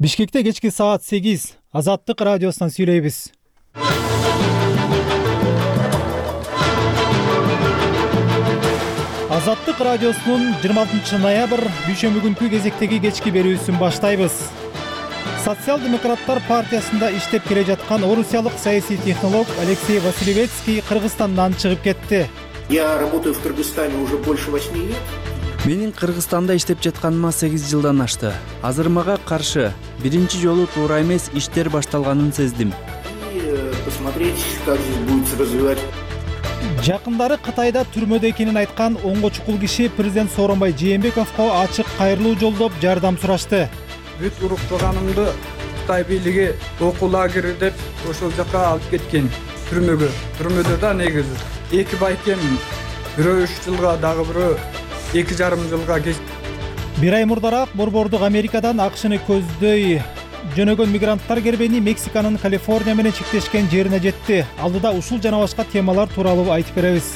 Бишкекте кечки саат 8 Азаттык радиосунан сүйлөйбүз. Азаттык радиосунун 26 ноябрь дүйшөмбү күнкү кезектеги кечки берүүсүн баштайбыз. Социал-демократтар партиясында иштеп келе жаткан орусиялык саясий технолог Алексей Василевецкий Кыргызстандан чыгып кетти. Я работаю в Кыргызстане уже больше 8 лет. Менин Кыргызстанда иштеп жатканыма 8 жылдан ашты. Азыр мага каршы биринчи жолу туура эмес иштер башталганын сездим. И посмотреть, как здесь будет развивать. Жакындары Кытайда түрмөдө экенин айткан оңго чукул киши президент Сооронбай Жээнбековго ачык кайрылуу жолдоп жардам сурашты. Бүт уруктуганымды Кытай бийлиги окуу лагери деп ошол жака алып кеткен түрмөгө. Түрмөдө да негизи 2 байкем, бирөө 3 жылга, дагы бирөө 2,5 жылга Бир ай мурдараак борбордук Америкадан АКШны көздөй жөнөгөн мигранттар кербени Мексиканын Калифорния менен чектешкен жерине жетти. Алдыда ушул жана башка темалар тууралуу айтып беребиз.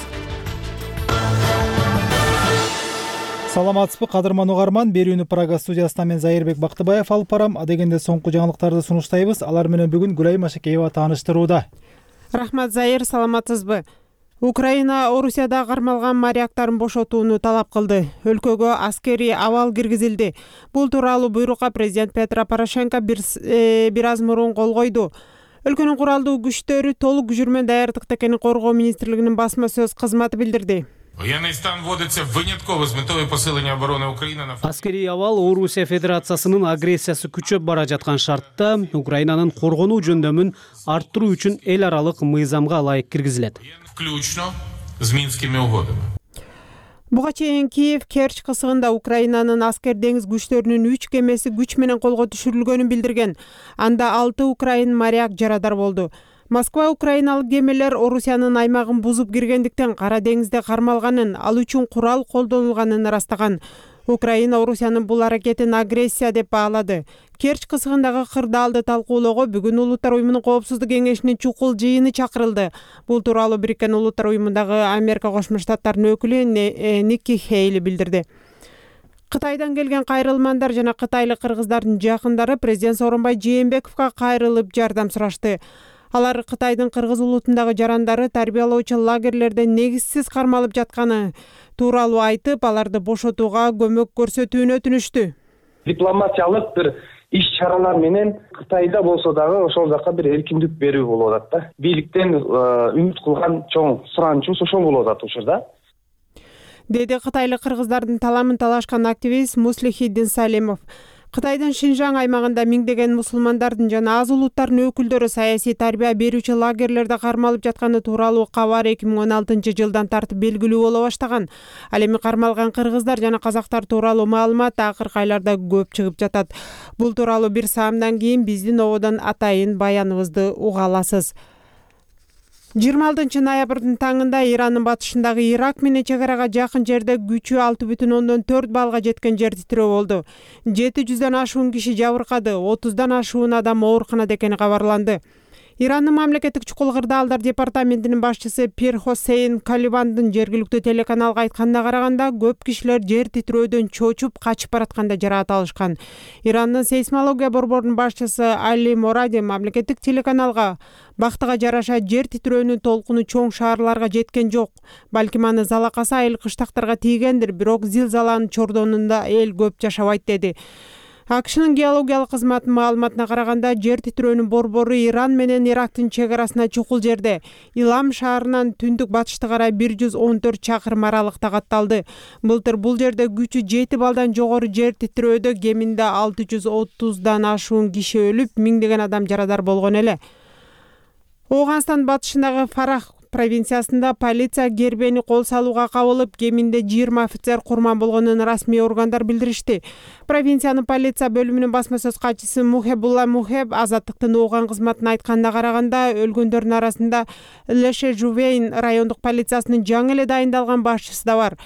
Саламатсызбы кадырман угарман, берүүнү Прага студиясынан мен Зайырбек Бактыбаев алып барам. Адегенде соңку жаңылыктарды сунуштайбыз. Алар менен бүгүн Гүлай Машекеева тааныштырууда. Рахмат Зайыр, саламатсызбы? Украина Орусияда кармалган моряктарын бошотууну талап кылды. Өлкөгө аскерий абал киргизилди. Бул тууралуу буйрукка президент Петро Порошенко бир аз мурун кол койду. Өлкөнүн куралдуу күчтөрү толук жүрмөн даярдыкта экенин Коргоо министрлигинин басма сөз кызматы билдирди. Военный стан вводится вынятково с метой посиления обороны Украины. Аскерий абал Орусия Федерациясынын агрессиясы күчөп бара жаткан шартта Украинанын коргонуу жөндөмүн арттыруу үчүн эл аралык мыйзамга ылайык киргизилет. Включно с Минскими угодами. Буга чейин Киев Керчь кысыгында Украинанын аскер деңиз күчтөрүнүн 3 кемеси күч менен колго түшүрүлгөнүн билдирген. Анда 6 украин моряк жарадар болду. Москва украиналык кемелер Орусиянын аймагын бузуп киргендиктен Кара деңизде кармалганын, ал үчүн курал колдонулганын ырастаган. Украина Орусиянын бул аракетин агрессия деп баалады. Керчь кысыгындагы кырдаалды талкуулоого бүгүн Улуттар уюмунун Коопсуздук кеңешинин чукул жыйыны чакырылды. Бул тууралуу Бириккен Улуттар уюмундагы Америка Кошмо Штаттарынын өкүлү Никки Хейли билдирди. Кытайдан келген кайрылмандар жана кытайлык кыргыздардын жакындары президент Сооронбай Жээнбековго кайрылып жардам сурашты. Алар Кытайдын кыргыз улутундагы жарандары тарбиялоочу лагерлерде негизсиз кармалып жатканы тууралуу айтып, аларды бошотууга көмөк көрсөтүүнү өтүнүштү. Дипломатиялык бир иш-чаралар менен Кытайда болсо дагы ошол жака бир эркиндик берүү болуп атат да. Бийликтен үмүт кылган чоң суранычыбыз ошол болуп атат учурда. Деди кытайлык кыргыздардын таламын талашкан активист Муслихиддин Салимов. Кытайдын Шинжаң аймагында миңдеген мусулмандардын жана аз улуттардын өкүлдөрү саясий тарбия берүүчү лагерлерде кармалып жатканы тууралуу кабар 2016 жылдан тартып белгилүү боло баштаган. Ал эми кармалган кыргыздар жана казактар тууралуу маалымат акыркы айларда көп чыгып жатат. Бул тууралуу бир саамдан кийин биздин ободон атайын баяныбызды уга аласыз. 26 ноябрдын таңында Ирандын батышындагы Ирак менен чек арага жакын жерде күчү 6,4 балга жеткен жер титирөө болду. 700дөн ашуун киши жабыркады, 30дан ашуун адам ооруканада экени кабарланды. Ирандын мамлекеттик чукул кырдаалдар департаментинин башчысы Пир Хосейн Калибандын жергиликтүү телеканалга айтканына караганда, көп кишилер жер титирөөдөн чочуп качып баратканда жараат алышкан. Ирандын сейсмология борборунун башчысы Али Моради мамлекеттик телеканалга бактыга жараша жер титирөөнүн толкуну чоң шаарларга жеткен жок. Балким аны залакасы айыл кыштактарга тийгендир, бирок зилзаланын чордонунда эл көп жашабайт деди. АКШнын геологиялык кызматынын маалыматына караганда, жер титирөөнүн борбору Иран менен Ирактын чек арасына чукул жерде, Илам шаарынан түндүк батышты карай 114 чакырым аралыкта катталды. Былтыр бул жерде күчү 7 балдан жогору жер титирөөдө кеминде 630дан ашуун киши өлүп, миңдеген адам жарадар болгон эле. Оганстан батышындагы Фарах провинциясында полиция гербени кол салууга кабылып, кеминде 20 офицер курман болгонун расмий органдар билдиришти. Провинциянын полиция бөлүмүнүн басма сөз катчысы Мухебулла Мухеб Азаттыктын ооган кызматына айтканына караганда, өлгөндөрдүн арасында Леше Жувейн райондук полициясынын жаңы эле дайындалган башчысы да бар.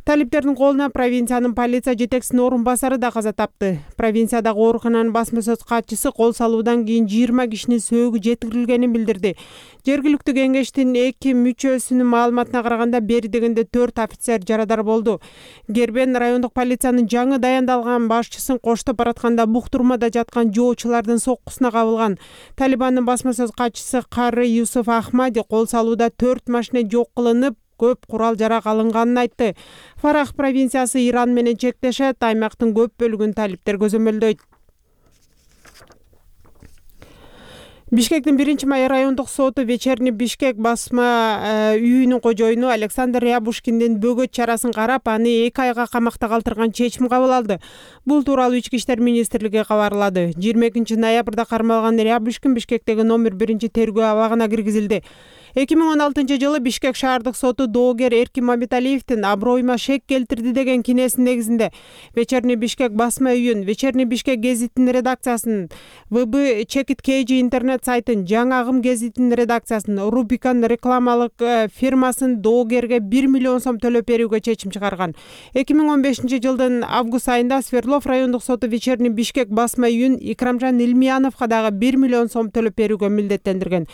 Талиптердин колуна провинциянын полиция жетекчисинин орун басары да каза тапты. Провинциядагы оорукананын басма сөз катчысы кол салуудан кийин 20 кишинин сөөгү жеткирилгенин билдирди. Жергиликтүү кеңештин 2 мүчөсүнүн маалыматына караганда бери дегенде 4 офицер жарадар болду. Гербен райондук полициянын жаңы даяндалган башчысын коштоп баратканда буктурмада жаткан жоочулардын соккусуна кабылган. Талибандын басма сөз катчысы Кары Юсуф Ахмади кол салууда 4 машина жок кылынып, көп курал жарак алынганын айтты. Фарах провинциясы Иран менен чектешет, аймактын көп бөлүгүн талиптер көзөмөлдөйт. Бишкектин 1-май райондук соту Вечерний Бишкек басма үйүнүн кожоюну Александр Рябушкиндин бөгөт чарасын карап, аны 2 айга камакта калтырган чечим кабыл алды. Бул тууралуу Ички иштер министрлиги кабарлады. 22 ноябрда кармалган Рябушкин Бишкектеги номер 1 тергөө абагына киргизилди. 2016-жылы Бишкек шаардык соту доогер Эркин Мамиталиевдин аброюма шек келтирди деген кинесинин негизинде Вечерний Бишкек басма үйүн, Вечерний Бишкек гезитинин редакциясын, ВБ Чекит KG интернет сайтын, Жаңы Агым гезитинин редакциясын, Рубикан рекламалык фирмасын доогерге 1 миллион сом төлөп берүүгө чечим чыгарган. 2015-жылдын август айында Свердлов райондук соту Вечерний Бишкек басма үйүн Икрамжан Илмияновго дагы 1 миллион сом төлөп берүүгө милдеттендирген.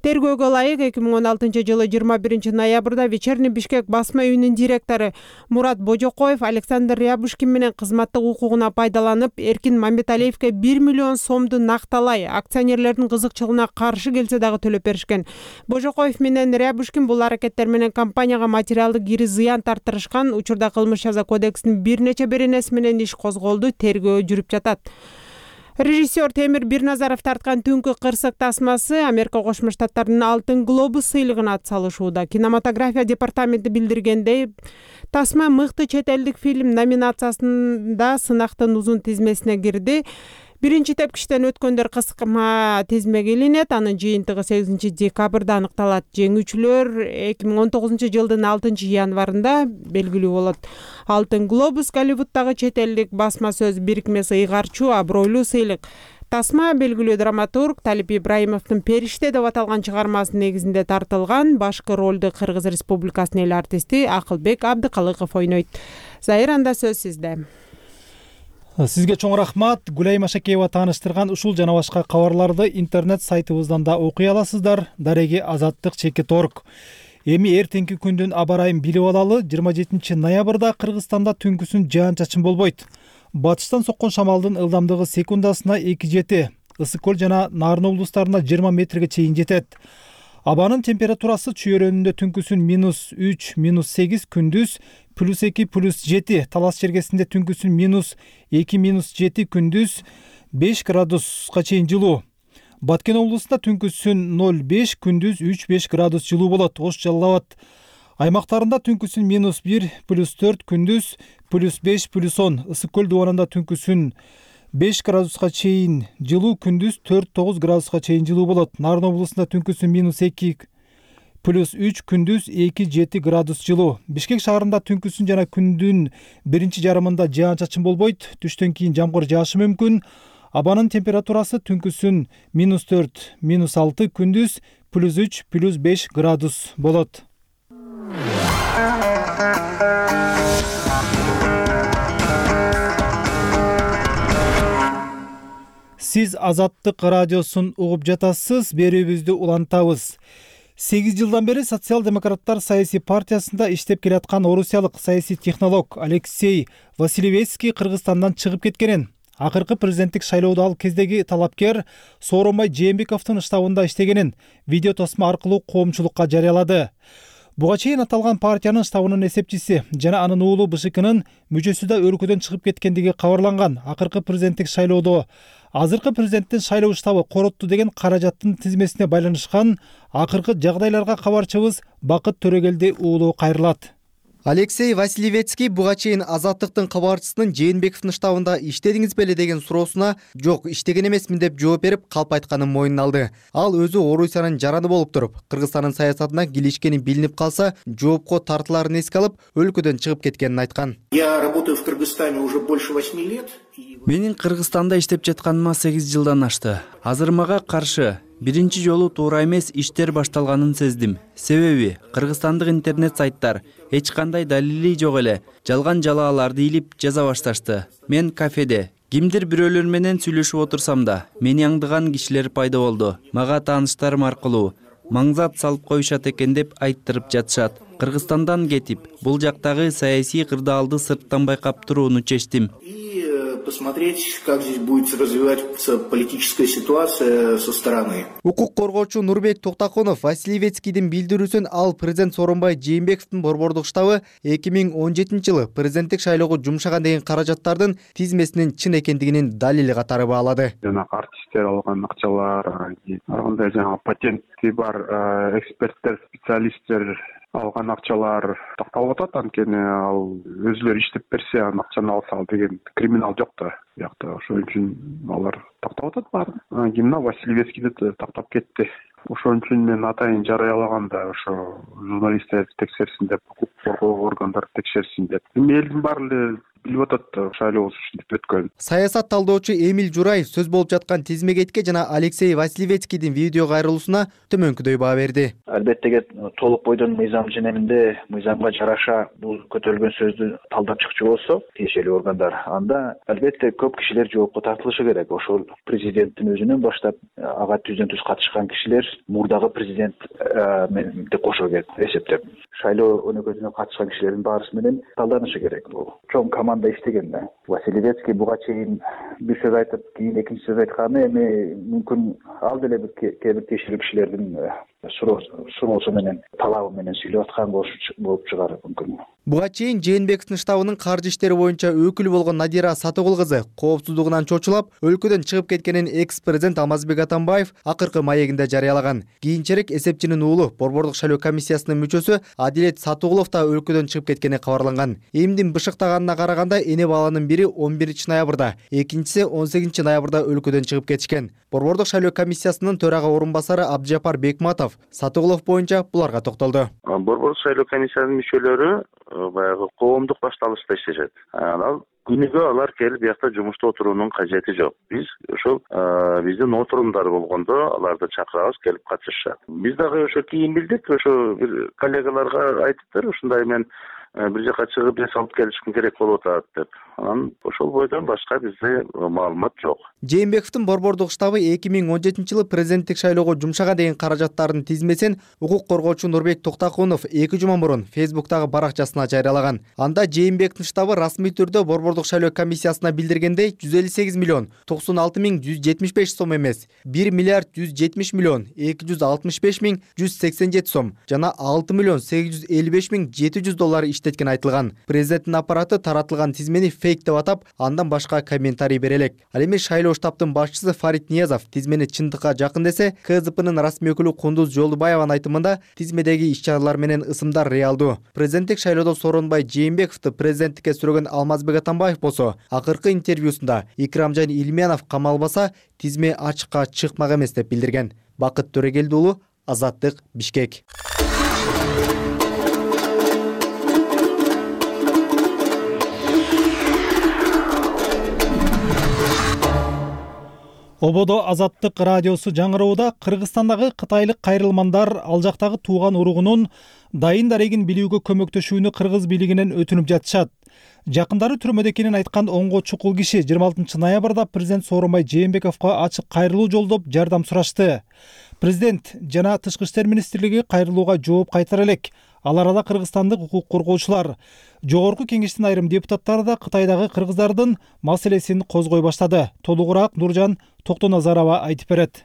Тергөөгө ылайык 2016-жылы 21 ноябрда Вечерний Бишкек басма үйүнүн директору Мурат Божокоев Александр Рябушкин менен кызматтык укугуна пайдаланып, Эркин Мамиталиевге 1 миллион сомду накталай акционерлердин кызыкчылыгына каршы келсе дагы төлөп беришкен. Божокоев менен Рябушкин бул аракеттер менен компанияга материалдык кири зыян тартырышкан. Учурда кылмыш жаза кодексинин бир нече беренеси менен иш козголду, тергөө жүрүп жатат. Режиссер Темир Бирназаров тарткан Түнкү кырсык тасмасы Америка Кошмо Штаттарынын Алтын глобус сыйлыгына ат салышууда. Кинематография департаменти билдиргендей, тасма мыкты чет элдик фильм номинациясында сынактын узун тизмесине кирди. Биринчи тепкичтен өткөндөр кыскырма тизмеге илинет. Анын жыйынтыгы 8 декабрда аныкталат. Жеңүүчүлөр 2019-жылдын 6 январында белгилүү болот. Алтын глобус Голливуддагы чет элдик басма сөз бирикмеси ыйгарчу абройлуу сыйлык. Тасма белгилүү драматург Талип Ибраимовдун Периште деп аталган чыгармасынын негизинде тартылган. Башкы ролду Кыргыз Республикасынын эл артисти Акылбек Абдыкалыков ойнойт. Зайыранда сөз сизде. Сизге чоң рахмат. Гүлай Машакеева тааныштырган ушул жана башка кабарларды интернет сайтыбыздан да окуй аласыздар. Дареги Азаттык.org. Эми эртеңки күндүн аба ырайын билип алалы. 27 ноябрда Кыргызстанда түнкүсүн жаан-чачын болбойт. Батыштан соккон шамалдын ылдамдыгы секундасына 2-7, Ысык-Көл жана Нарын облустарында 20 метрге чейин жетет. Абанын температурасы чүйөрөнүндө түнкүсүн -3, -8, күндүз +2, +7, Талас чергесинде түнкүсүн -2, -7, күндүз 5 градуска чейин жылуу. Баткен облусунда түнкүсүн 0,5, күндүз 3-5 градус жылуу болот. Ош Жалал Абад аймактарында түнкүсүн -1, +4, күндүз +5, +10. Ысык-Көл дубанында түнкүсүн 5 градуска чейин жылуу, күндүз 4-9 градуска чейин жылуу болот. Нарын облусунда түнкүсүн -2, +3, күндүз 2-7 градус жылуу. Бишкек шаарында түнкүсүн жана күндүн биринчи жарымында жаан-чачын болбойт. Түштөн кийин жамгыр жаашы мүмкүн. Абанын температурасы түнкүсүн -4, -6, күндүз +3, +5 градус болот. Сиз Азаттык радиосун угуп жатасыз. Берүүбүздү улантабыз. 8 жылдан бери социал-демократтар саясий партиясында иштеп келаткан орусиялык саясий технолог Алексей Василевецкий Кыргызстандан чыгып кеткенин, акыркы президенттик шайлоодо ал кездеги талапкер Сооронбай Жээнбековдун штабында иштегенин видео тосма аркылуу коомчулукка жарыялады. Буга чейин аталган партиянын штабынын эсепчиси жана анын уулу БШКнын мүчөсү да өлкөдөн чыгып кеткендиги кабарланган. Акыркы президенттик шайлоодо азыркы президенттин шайлоо штабы коротту деген каражаттын тизмесине байланышкан акыркы жагдайларга кабарчыбыз Бакыт Төрөгелди уулу кайрылат. Алексей Василевецкий буга чейин Азаттыктын кабарчысынын Жээнбековдун штабында иштедиңиз беле деген суроосуна жок, иштеген эмесмин деп жооп берип, калп айтканын мойнуна алды. Ал өзү Орусиянын жараны болуп туруп, Кыргызстандын саясатына килишкени билинип калса, жоопко тартыларын эске алып, өлкөдөн чыгып кеткенин айткан. Я работаю в Кыргызстане уже больше 8 лет. Менин Кыргызстанда иштеп жатканыма 8 жылдан ашты. Азыр мага каршы биринчи жолу туура эмес иштер башталганын сездим. Себеби кыргызстандык интернет сайттар эч кандай далили жок эле жалган жалааларды илип жаза башташты. Мен кафеде кимдир бирөөлөр менен сүйлөшүп отурсам да, мени аңдыган кишилер пайда болду. Мага тааныштарым аркылуу маңзат салып коюшат экен деп айттырып жатышат. Кыргызстандан кетип, бул жактагы саясий кырдаалды сырттан байкап турууну чечтим. Посмотреть, как здесь будет развиваться политическая ситуация со стороны. Укук коргоочу Нурбек Токтакунов Васильевецкийдин билдирүүсүн ал президент Сооронбай Жээнбековдун борбордук штабы 2017-жылы президенттик шайлоого жумшаган деген каражаттардын тизмесинин чын экендигинин далили катары баалады. Жанагы артисттер алган акчалар, ар кандай патенти бар эксперттер, специалисттер алган акчалар такталып атат. Анткени ал өзүлөрү иштеп берсе, анын акчаны алса деген криминал жок да биякта. Ошон үчүн алар тактап атат баарын. Кимна Васильевецкийди тактап кетти. Ошон үчүн мен атайын жарыялаганда ошо журналисттер текшерсин деп, укук коргоо органдары текшерсин деп. Элдин баары эле билип атат шайлоо ушинтип өткөн. Саясат талдоочу Эмиль Жураев сөз болуп жаткан тизмегетке жана Алексей Васильевецкийдин видео кайрылуусуна төмөнкүдөй баа берди. Албетте толук бойдон мыйзам женеминде мыйзамга жараша бул көтөрүлгөн сөздү талдап чыкчу болсо, тиешелүү органдар, анда албетте көп кишилер жоопко тартылышы керек. Ошол президенттин өзүнөн баштап ага түздөн түз катышкан кишилер мурдагы президентти кошо кетип эсептеп, шайлоо өнөкөтүнө катышкан кишилердин баарысы менен талданышы керек. Бул чоң команда иштеген да. Васильевецкий буга чейин бир сөз айтып, кийин экинчи сөз айтканы эми мүмкүн ал деле бир кээ бир тиешелүү кишилердин суроосу менен, талабы менен сүйлөп аткан болуп чыгар мүмкүн. Буга чейин Жээнбековдун штабынын каржы иштери боюнча өкүлү болгон Надира Сатыгул кызы коопсуздугунан чочулап, өлкөдөн чыгып кеткенин экс-президент Алмазбек Атамбаев акыркы маегинде жарыялаган. Кийинчерээк эсепчинин уулу борбордук шайлоо комиссиясынын мүчөсү Адилет Сатыгулов да өлкөдөн чыгып кеткени кабарланган. Эмдин бышыктаганына караганда эне баланын бири 11-ноябрда, экинчиси 18-ноябрда өлкөдөн чыгып кетишкен. Борбордук шайлоо комиссиясынын төрага орун басары Абдыжапар Бекматов Сатыгулов боюнча буларга токтолду. Борбордук шайлоо комиссиянын мүчөлөрү баягы коомдук башталышта иштешет. Анан күнүгө алар келип биякта жумушта отуруунун кажети жок. Биз ошол биздин отурумдар болгондо аларды чакырабыз, келип катышышат. Биз дагы ошо кийин билдик, ошо бир коллегаларга айтыптыр, ушундай мен бир жака чыгып эс алып келишим керек болуп атат деп. Анан ошол бойдон башка бизде маалымат жок. Жээнбековдун борбордук штабы 2017-жылы президенттик шайлоого жумшаган деген каражаттардын тизмесин укук коргоочу Нурбек Токтакунов 2 жума мурун Фейсбуктагы баракчасына жарыялаган. Анда Жээнбековдун штабы расмий түрдө борбордук шайлоо комиссиясына билдиргендей 158 миллион 96 миң 175 сом эмес, 1 миллиард 170 миллион 265 миң 187 сом жана 6 миллион 855 миң 700 доллар иштеткен айтылган. Президенттин аппараты таратылган тизмени фейк деп атап, андан башка комментарий бере элек. Ал эми шайлоо штабтын башчысы Фарид Ниязов тизмени чындыкка жакын десе, КСДПнын расмий өкүлү Кундуз Жолдубаеванын айтымында тизмедеги иш-чаралар менен ысымдар реалдуу. Президенттик шайлоодо Сооронбай Жээнбековду президенттикке сүрөгөн Алмазбек Атамбаев болсо, акыркы интервьюсунда Икрамжан Илмиянов камалбаса, тизме ачыкка чыкмак эмес деп билдирген. Бакыт Төрөгелди уулу, Азаттык, Бишкек. Ободо Азаттык радиосу жаңыроодо Кыргызстандагы кытайлык кайрылмандар ал жактагы тууган уругунун дайын дарегин билүүгө көмөктөшүүнү кыргыз бийлигинен өтүнүп жатышат. Жакындары түрмөдө экенин айткан оңго чукул киши 26 ноябрда президент Сооронбай Жээнбековго ачык кайрылуу жолдоп жардам сурашты. Президент жана Тышкы иштер министрлиги кайрылууга жооп кайтара элек. Ал арада кыргызстандык укук коргоочулар, жогорку кеңештин айрым депутаттары да Кытайдагы кыргыздардын маселесин козгой баштады. Толугураак Нуржан Токтоназарова айтып берет.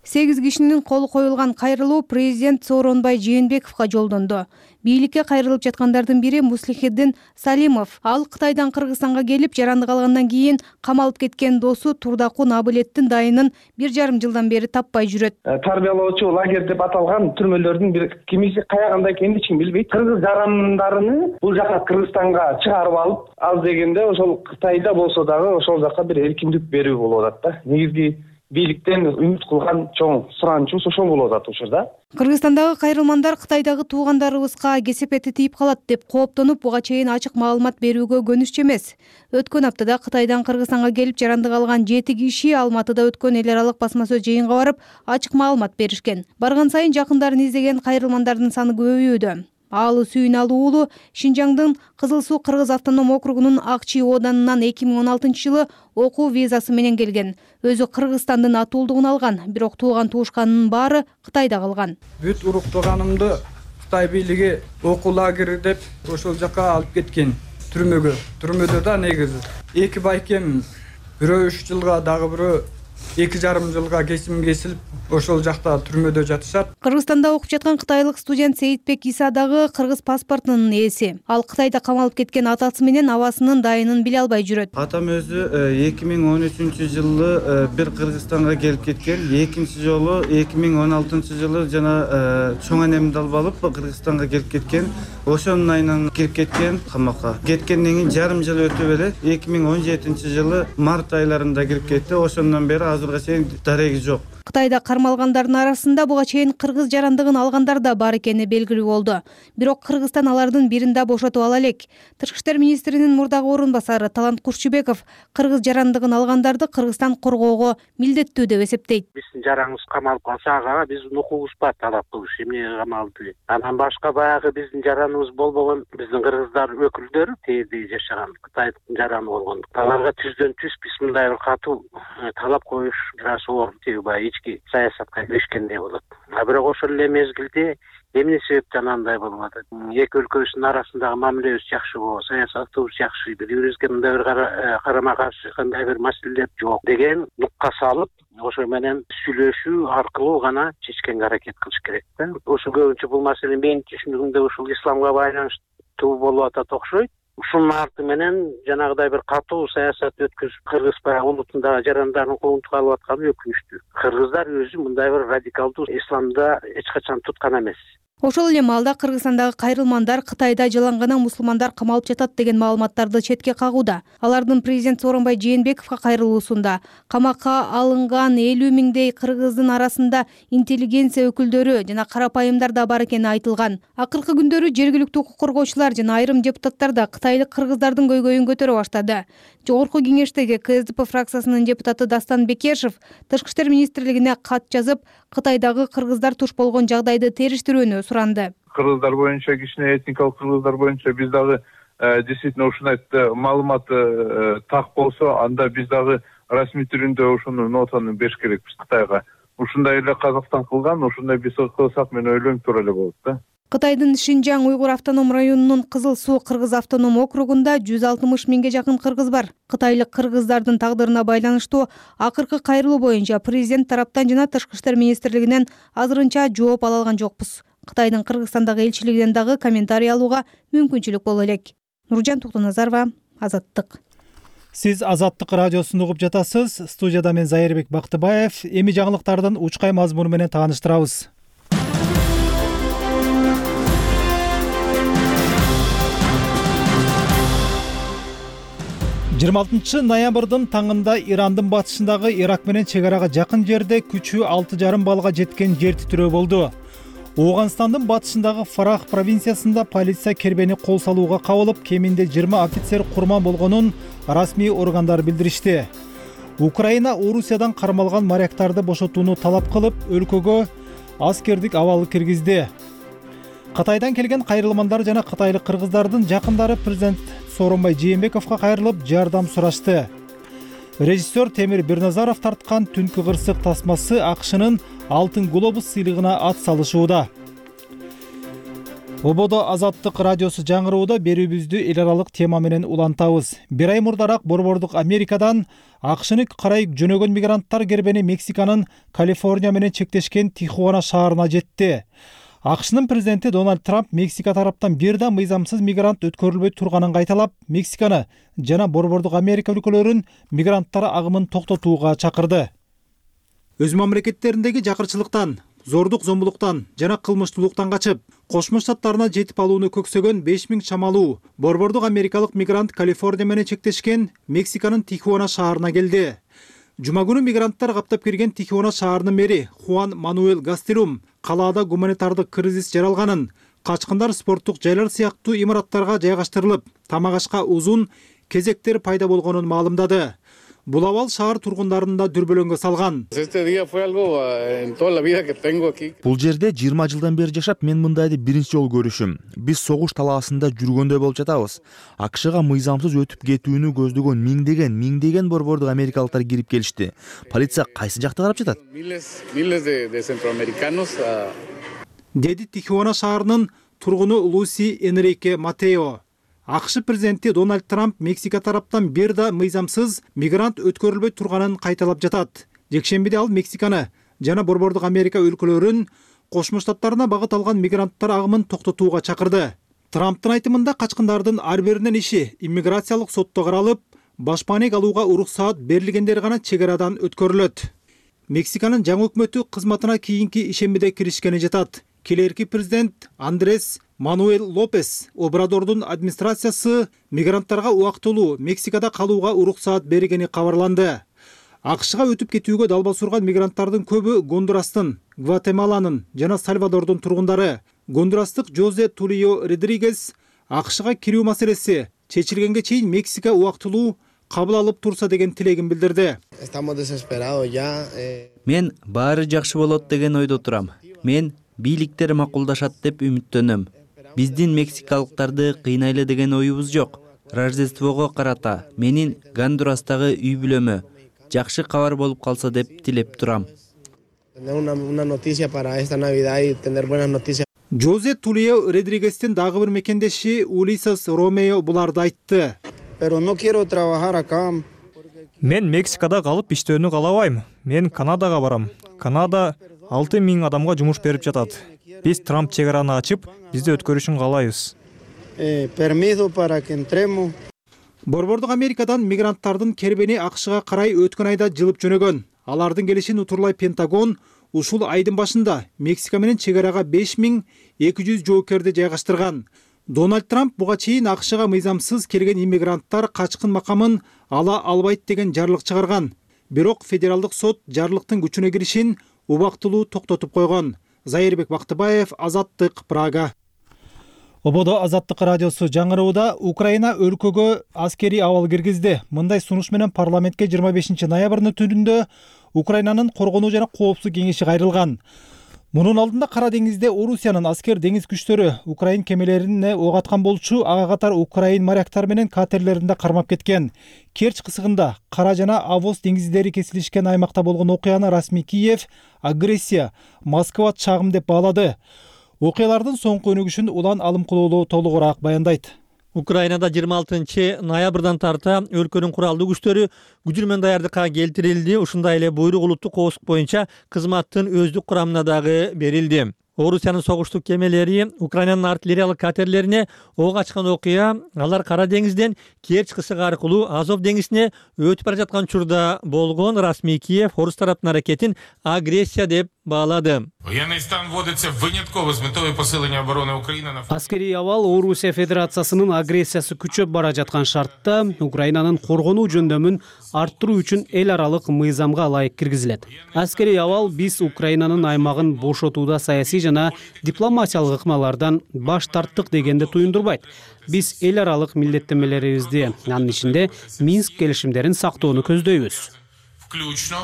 8 кишинин колу коюлган кайрылуу президент Сооронбай Жээнбековго жолдонду. Бийликке кайрылып жаткандардын бири Муслихиддин Салимов. Ал Кытайдан Кыргызстанга келип, жарандык алгандан кийин камалып кеткен досу Турдакун Абылеттин дайынын 1,5 жылдан бери таппай жүрөт. Тарбиялоочу лагерь деп аталган түрмөлөрдүн бир кимиси каягында экенин эч ким билбейт. Кыргыз жарандарыны бул жака Кыргызстанга чыгарып алып, ал дегенде ошол Кытайда болсо дагы ошол жака бир эркиндик берүү болуп атат да. Негизги бийликтен үмүт кылган чоң суранычыбыз ошол болуп атат учурда. Кыргызстандагы кайрылмандар Кытайдагы туугандарыбызга кесепети тийип калат деп кооптонуп, буга чейин ачык маалымат берүүгө көнүшчү эмес. Өткөн аптада Кытайдан Кыргызстанга келип жарандык алган 7 киши Алматыда өткөн эл аралык басма сөз жыйынга барып, ачык маалымат беришкен. Барган сайын жакындарын издеген кайрылмандардын саны көбөйүүдө. Аалы Сүйүналы уулу Шинжаңдын Кызыл Суу Кыргыз автоном округунун Акчи оданынан 2016-жылы окуу визасы менен келген. Өзү Кыргызстандын атуулдугун алган, бирок тууган туушканынын баары Кытайда калган. Бүт уруктуганымды Кытай бийлиги окуу лагери деп ошол жака алып кеткен түрмөгө. Түрмөдө да негизи 2 байкем, бирөө 3 жылга, дагы бирөө 2,5 жылга кесим кесилип, ошол жакта түрмөдө жатышат. Кыргызстанда окуп жаткан кытайлык студент Сейитбек Иса дагы кыргыз паспортунун ээси. Ал Кытайда камалып кеткен атасы менен абасынын дайынын биле албай жүрөт. Атам өзү 2013-жылы бир Кыргызстанга келип кеткен, экинчи жолу 2016-жылы жана чоң энемди алып алып Кыргызстанга келип кеткен. Ошонун айынан кирип кеткен камакка. Кеткенден кийин жарым жыл өтүп эле 2017-жылы март айларында кирип кетти. Ошондон бери азырга чейин дареги жок. Кытайда кармалгандардын арасында буга чейин кыргыз жарандыгын алгандар да бар экени белгилүү болду. Бирок Кыргызстан алардын бирин да бошотуп ала элек. Тышкы иштер министринин мурдагы орун басары Талант Курчубеков кыргыз жарандыгын алгандарды Кыргызстан коргоого милдеттүү деп эсептейт. Биздин жараңыбыз камалып калса, ага биздин укугубуз бар талап кылыш, эмне камалды. Анан башка баягы биздин жараныбыз болбогон биздин кыргыздар өкүлдөрү тээде жашаган Кытайдын жараны болгон. Аларга түздөн түз биз мындай бир катуу талап коюш оор тиги ички саясатка киришкендей болот. Бирок ошол эле мезгилде эмне себептен андай болуп атат? Эки өлкөбүздүн арасындагы мамилебиз жакшы болобу, саясатыбыз жакшы, бири-бирибизге мындай бир карама каршы кандай бир маселелер жок деген нукка салып, ошо менен сүйлөшүү аркылуу гана чечкенге аракет кылыш керек да. Ошо көбүнчө бул маселе менин түшүнүгүмдө ушул исламга байланыштуу болуп атат окшойт. Ушунун арты менен жанагыдай бир катуу саясат өткөзүп, кыргыз улутундагы жарандардын коомдук алып атканы өкүнүчтүү. Кыргыздар өзү мындай бир радикалдуу исламда эч качан туткан эмес. Ошол эле маалда Кыргызстандагы кайрылмандар Кытайда жалаңгана мусулмандар камалып жатат деген маалыматтарды четке кагууда. Алардын президент Сооронбай Жээнбековго кайрылуусунда камакка алынган 50 миңдей кыргыздын арасында интеллигенция өкүлдөрү жана карапайымдар да бар экени айтылган. Акыркы күндөрү жергиликтүү укук коргоочулар жана айрым депутаттар да кытайлык кыргыздардын көйгөйүн көтөрө баштады. Жогорку кеңештеги КСДП фракциясынын депутаты Дастан Бекешев Тышкы иштер министрлигине кат жазып, Кытайдагы кыргыздар туш болгон жагдайды териштирүүнү суранды. Кыргыздар боюнча, кичине этникалык кыргыздар боюнча биз дагы действительно ушундай маалымат так болсо, анда биз дагы расмий түрүндө ушуну нотаны бериш керекпиз Кытайга. Ушундай эле Казакстан кылган, ушундай биз кылсак мен ойлойм туура эле болот да. Кытайдын Шинжаң уйгур автоном районунун Кызыл Суу Кыргыз автоном округунда 160 миңге жакын кыргыз бар. Кытайлык кыргыздардын тагдырына байланыштуу акыркы кайрылуу боюнча президент тараптан жана Тышкы иштер министрлигинен азырынча жооп ала алган жокпуз. Кытайдын Кыргызстандагы элчилигинен дагы комментарий алууга мүмкүнчүлүк боло элек. Нуржан Токтоназарова, Азаттык. Сиз Азаттык радиосун угуп жатасыз. Студияда мен Зайырбек Бактыбаев. Эми жаңылыктардын учкай мазмуну менен тааныштырабыз. 26 ноябрдын таңында Ирандын батышындагы Ирак менен чек арага жакын жерде күчү 6,5 балга жеткен жер титирөө болду. Ооганстандын батышындагы Фарах провинциясында полиция кербени кол салууга кабылып, кеминде 20 офицер курман болгонун расмий органдар билдиришти. Украина Орусиядан кармалган моряктарды бошотууну талап кылып, өлкөгө аскердик абал киргизди. Кытайдан келген кайрылмандар жана кытайлык кыргыздардын жакындары президент Сооронбай Жээнбековго кайрылып, жардам сурашты. Режиссер Темир Бирназаров тарткан Түнкү кырсык тасмасы АКШнын Алтын глобус сыйлыгына ат салышууда. Ободо Азаттык радиосу жаңырууда берүүбүздү эл аралык тема менен улантабыз. Бир ай мурдараак Борбордук Америкадан АКШны карай жөнөгөн мигранттар кербени Мексиканын Калифорния менен чектешкен Тихуана шаарына жетти. АКШнын президенти Дональд Трамп Мексика тараптан бир да мыйзамсыз мигрант өткөрүлбөй турганын кайталап, Мексиканы жана Борбордук Америка өлкөлөрүн мигранттар агымын токтотууга чакырды. Өз мамлекеттериндеги жакырчылыктан, зордук зомбулуктан жана кылмыштуулуктан качып, Кошмо Штаттарына жетип алууну көксөгөн 5000 чамалуу Борбордук Америкалык мигрант Калифорния менен чектешкен Мексиканын Тихуана шаарына келди. Жума күнү мигранттар каптап кирген Тихуана шаарынын мэри Хуан Мануэль Гастелум калаада гуманитардык кризис жаралганын, качкындар спорттук жайлар сыяктуу имараттарга жайгаштырылып, тамак ашка uzun кезектер пайда болгонун маалымдады. Бул абал шаар тургундарын да дүрбөлөңгө салган. Бул жерде 20 жылдан бери жашап, мен мындайды биринчи жолу көрүшүм. Биз согуш талаасында жүргөндөй болуп жатабыз. АКШга мыйзамсыз өтүп кетүүнү көздөгөн миңдеген борбордук америкалыктар кирип келишти. Полиция кайсы жакта карап жатат? Деди Тихуана шаарынын тургуну Луси Энрике Матео. АКШ президенти Дональд Трамп Мексика тараптан бир да мыйзамсыз мигрант өткөрүлбөй турганын кайталап жатат. Жекшембиде ал Мексиканы жана борбордук Америка өлкөлөрүн Кошмо Штаттарына багыт алган мигранттар агымын токтотууга чакырды. Трамптын айтымында качкындардын ар биринин иши иммиграциялык сотто каралып, башпаанек алууга уруксаат берилгендер гана чек арадан өткөрүлөт. Мексиканын жаңы өкмөтү кызматына кийинки ишембиде киришкени жатат. Келерки президент Андрес Мануэль Лопес Обрадордун администрациясы мигранттарга убактылуу Мексикада калууга уруксаат бергени кабарланды. АКШга өтүп кетүүгө далбас урган мигранттардын көбү Гондурастын, Гватемаланын жана Сальвадордун тургундары. Гондурастык Жозе Тулио Родригес АКШга кирүү маселеси чечилгенге чейин Мексика убактылуу кабыл алып турса деген тилегин билдирди. Мен баары жакшы болот деген ойдо турам. Мен бийликтер макулдашат деп үмүттөнөм. Биздин мексикалыктарды кыйнайлы деген оюбуз жок. Рождествого карата менин Гондурастагы үй бүлөмө жакшы кабар болуп калса деп тилеп турам. Жозе Тулио Родригестин дагы бир мекендеши Улисес Ромео буларды айтты. Мен Мексикада калып иштөөнү каалабайм. Мен Канадага барам. Канада 6000 адамга жумуш берип жатат. Биз Трамп чек араны ачып, бизди өткөрүшүн каалайбыз. Борбордук Америкадан мигранттардын кербени АКШга карай өткөн айда жылып жөнөгөн. Алардын келишин утурлай Пентагон ушул айдын башында Мексика менен чек арага 5200 жоокерди жайгаштырган. Дональд Трамп буга чейин АКШга мыйзамсыз келген иммигранттар качкын макамын ала албайт деген жарлык чыгарган. Бирок федералдык сот жарлыктын күчүнө киришин убактылуу токтотуп койгон. Зайырбек Бактыбаев, Азаттык, Прага. Ободо Азаттык радиосу жаңырууда Украина өлкөгө аскери абал киргизди. Мындай сунуш менен парламентке 25 ноябрдын түнүндө Украинанын коргонуу жана коопсуздук кеңеши кайрылган. Мунун алдында Кара деңизде Орусиянын аскер деңиз күчтөрү Украин кемелерине ок аткан болчу, ага катар Украин моряктар менен катерлеринде кармап кеткен. Керч кысыгында Кара жана Авоз деңиздери кесилишкен аймакта болгон окуяны расмий Киев агрессия, Москва чагым деп баалады. Окуялардын соңку өнүгүшүн Улан Алымкулуулу толугураак баяндайт. Украинада 26 ноябрдан тарта өлкөнүн куралдуу күчтөрү күжүрмөн даярдыкка келтирилди. Ушундай эле буйрук улуттук коопсуздук боюнча кызматтын өздүк курамына дагы берилди. Орусиянын согуштук кемелери Украинанын артиллериялык катерлерине ок ачкан окуя алар Кара деңизден Керч кысыгы аркылуу Азов деңизине өтүп бара жаткан учурда болгон. Расмий Киев орус тараптын аракетин агрессия деп баалады. Военный стан вводится вынятково с метой посиления обороны Украины на Аскерий абал Орусия Федерациясынын агрессиясы күчөп бара жаткан шартта Украинанын коргонуу жөндөмүн арттыруу үчүн эл аралык мыйзамга ылайык киргизилет. Аскерий абал биз Украинанын аймагын бошотууда саясий жана дипломатиялык ыкмалардан баш тарттык дегенди туюндурбайт. Биз эл аралык милдеттенмелерибизди, анын ичинде Минск келишимдерин сактоону көздөйбүз. включно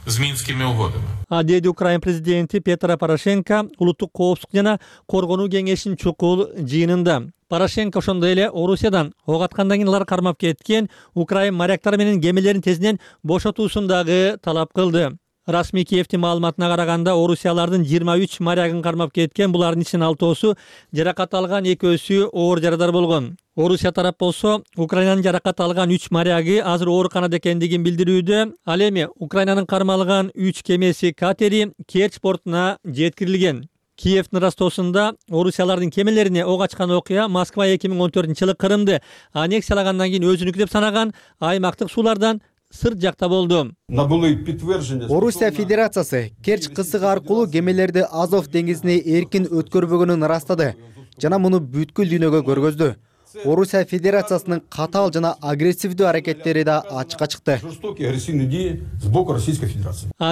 с Минскими угодами. Деди Украин президенти Петро Порошенко улуттук коопсуздук жана коргонуу кеңешинин чукул жыйынында. Порошенко ошондой эле Орусиядан ок аткандан кийин алар кармап кеткен Украин моряктары менен кемелерин тезинен бошотуусун дагы талап кылды. Расмий Киевдин маалыматына караганда Орусиялардын 23 морягын кармап кеткен, булардын ичинен 6-оосу жаракат алган, 2-өсү оор жарадар болгон. Орусия тарап болсо Украинанын жаракат алган 3 моряги азыр ооруканада экендигин билдирүүдө. Ал эми Украинанын кармалган 3 кемеси катери Керч портуна жеткирилген. Киевдин Ростосунда Орусиялардын кемелерине ок ачкан окуя Москва 2014-жылы Крымды аннексиялагандан кийин өзүнүкү деп санаган аймактык суулардан сырт жакта болду. Орусия Федерациясы Керч кысыгы аркылуу кемелерди Азов деңизине эркин өткөрбөгөнүн ырастады жана муну бүткүл дүйнөгө көргөздү. Орусия Федерациясынын катаал жана агрессивдүү аракеттери да ачыкка чыкты.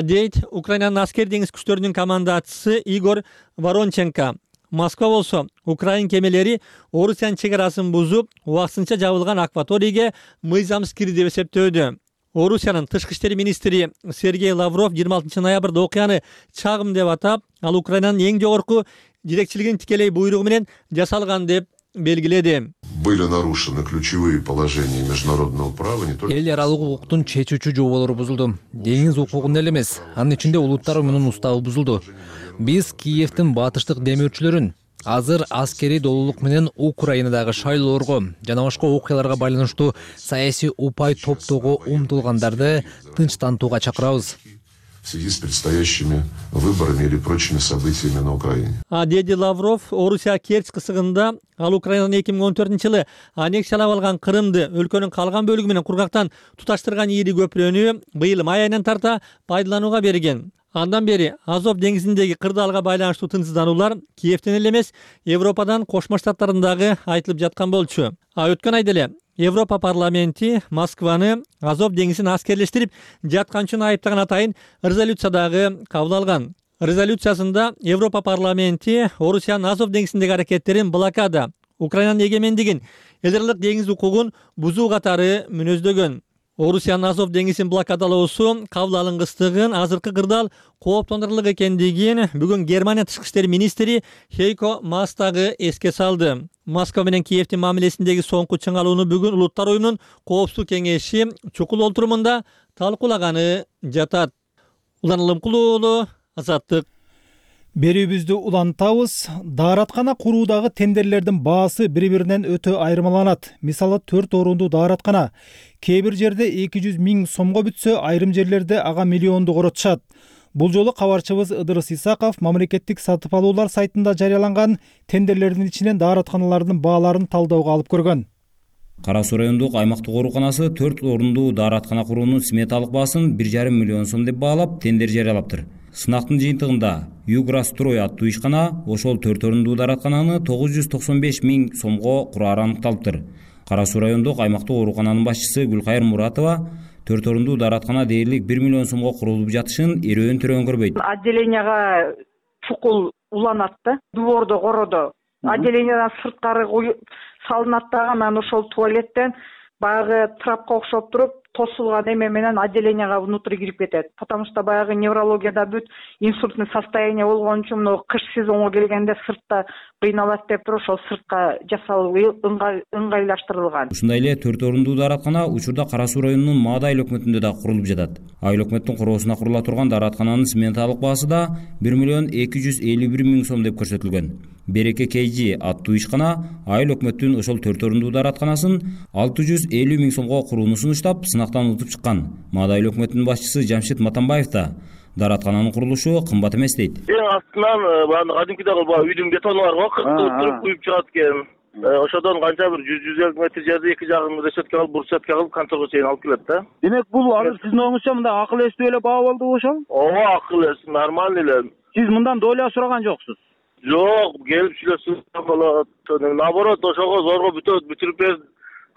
Дейт Украинанын аскер деңиз күчтөрүнүн командачысы Игорь Воронченко. Москва болсо Украин кемелери Орусиянын чек арасын бузуп, убактысынча жабылган акваторийге мыйзамсыз кирди деп эсептөөдө. Орусиянын тышкы иштер министри Сергей Лавров 26 ноябрда окуяны чагым деп атап, ал Украинанын эң жогорку жетекчилигинин тикелей буйругу менен жасалган деп белгиледи. Были нарушены ключевые положения международного права не только. Эл аралык укуктун чечүүчү жоболору бузулду. Деңиз укугунда эле эмес, анын ичинде улуттар уюмунун уставы бузулду. Биз Киевдин батыштык демөөрчүлөрүн азыр аскерий долуулук менен Украинадагы шайлоорго жана башка окуяларга байланыштуу саясий упай топтоого умтулгандарды тынчтантууга чакырабыз. В связи с предстоящими выборами или прочими событиями на Украине. Деди Лавров Орусия Керчь кысыгында ал Украинанын 2014-жылы аннексиялап алган Крымды өлкөнүн калган бөлүгү менен кургактан туташтырган ири көпүрөнү быйыл май айынан тарта пайдаланууга берген. Андан бери Азов деңизиндеги кырдаалга байланыштуу тынчсыздануулар Киевден эле эмес, Европадан Кошмо Штаттарындагы айтылып жаткан болчу. Өткөн айда эле Европа парламенти Москваны Азов деңизин аскерлештирип жаткан үчүн айыптаган атайын резолюциядагы кабыл алган. Резолюциясында Европа парламенти Орусиянын Азов деңизиндеги аракеттерин блокада, Украинанын эгемендигин, эл аралык деңиз укугун бузуу катары мүнөздөгөн. Орусиянын Азов деңизин блокадалоосу кабыл алынгыстыгын азыркы кырдаал кооптондурарлык экендигин бүгүн Германия тышкы иштер министри Хейко Маас дагы эске салды. Москва менен Киевдин мамилесиндеги соңку чыңалууну бүгүн Улуттар уюмунун Коопсуздук кеңеши чукул олтурумунда талкуулаганы жатат. Улан Улымкулуу уулу, Азаттык. Берүүбүздү улантабыз. Daarаткана куруудагы тендерлердин баасы бири-биринен өтө айырмаланат. Мисалы 4 орундуу daarаткана кээ бир жерде 200 000 сомго бүтсө, айрым жерлерде ага миллионду коротушат. Бул жолу кабарчыбыз Ыдырыс Исаков мамлекеттик сатып алуулар сайтында жарыяланган тендерлердин ичинен daarатканалардын бааларын талдаууга алып көргөн. Кара Суу райондук аймактык ооруканасы 4 орундуу daarаткана куруунун сметалык баасын 1,5 миллион сом деп баалап, тендер жарыялаптыр. Сынактын жыйынтыгында Юграстрой аттуу ишкана ошол 4 орундуу daarаткананы 995 000 сомго курары аныкталыптыр. Кара Суу райондук аймактык оорукананын башчысы Гүлкайыр Муратова 4 орундуу daarаткана дээрлик 1 миллион сомго курулуп жатышын эрөөн төрөөн көрбөйт. Отделенияга чукул уланат да, двордо коrodо. Отделениядан сырткары салынат дагы, анан ошол туалеттен баягы трапка окшоп туруп тосулган эме менен отделенияга внутрь кирип кетет. Потому что баягы неврологияда бүт инсультный состояние болгон үчүн мына кыш сезонго келгенде сыртта кыйналат деп туруп ошол сыртка жасалуу ыңгайлаштырылган. Ушундай эле 4 орундуу daarаткана учурда Кара Суу районунун Маада айыл өкмөтүндө да курулуп жатат. Айыл өкмөттүн короосуна курула турган daarаткананын сметалык баасы да 1 миллион 251 000 сом деп көрсөтүлгөн. Береке Кейжи аттуу ишкана айыл өкмөттүн ошол 4 орундуу daarатканасын 650 000 сомго курууну сунуштап, сынактан утуп чыккан. Маада айыл өкмөтүнүн башчысы Жамшит Матамбаев да daarаткананын курулушу кымбат эмес дейт. Эң астынан баягы кадимкидеги үйдүн бетону бар го, кыртып куюп чыгат экен. Ошодон канча бир 100-150 метр жерде эки жагын решетка кылып, бурчатка кылып конторго чейин алып келет да. Демек бул азыр сиздин оңуңузча мындай акыл эстүү эле баа болду ошол? Ооба, акыл эс, нормальный эле. Сиз мындан доля сураган жоксуз? Жок, келип сүйлөшсөң болот. Наоборот, ошого зорго бүтүрүп бер,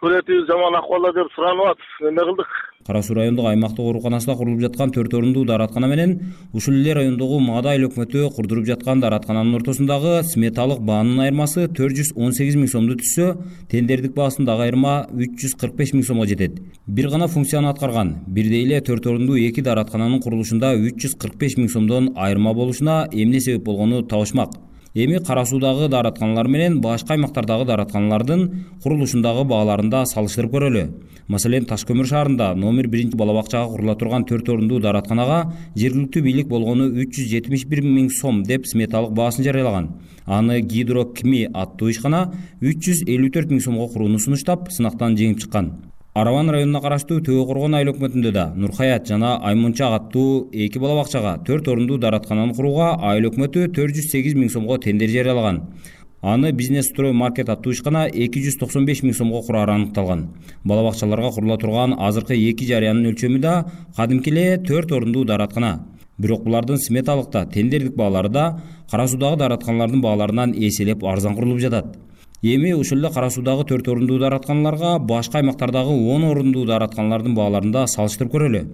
көрөтүбүз жаман акыбалда деп суранып атып, эме кылдык. Кара Суу райондук аймактык ооруканасында курулуп жаткан 4 орундуу daarаткана менен ушул эле райондогу Маада айыл өкмөтү курдуруп жаткан daarаткананын ортосундагы сметалык баанын айырмасы 418 000 сомду түзсө, тендердик баасындагы айырма 345 000 сомго жетет. Бир гана функцияны аткарган, бирдей эле 4 орундуу 2 daarаткананын курулушунда 345 000 сомдон айырма болушуна эмне себеп болгону табышмак. Эми Кара Суудагы daarатканалар менен башка аймактардагы daarатканалардын курулушундагы бааларында салыштырып көрөлү. Маселен, Ташкөмүр шаарында номер 1 бала бакчага курула турган 4 орундуу daarатканага жергиликтүү бийлик болгону 371 000 сом деп сметалык баасын жарыялаган. Аны Гидрокми аттуу ишкана 354 000 сомго курууну сунуштап, сынактан жеңип чыккан. Араван районуна караштуу Төө Коргон айыл өкмөтүндө да Нурхаят жана Аймунчак аттуу 2 бала бакчага 4 орундуу daarаткананы курууга айыл өкмөтү 408 000 сомго тендер жарыялаган. Аны Бизнес Строй Маркет аттуу ишкана 295 000 сомго курары аныкталган. Бала бакчаларга курула турган азыркы 2 жарыянын өлчөмү да кадимки эле 4 орундуу daarаткана. Бирок булардын сметалыкта, тендердик баалары да Кара Суудагы daarатканалардын бааларынан эселеп арзан курулуп жатат. Эми ушул эле Кара Суудагы 4 орундуу дааратканаларга башка аймактардагы 10 орундуу дааратканалардын бааларын да салыштырып көрөлү.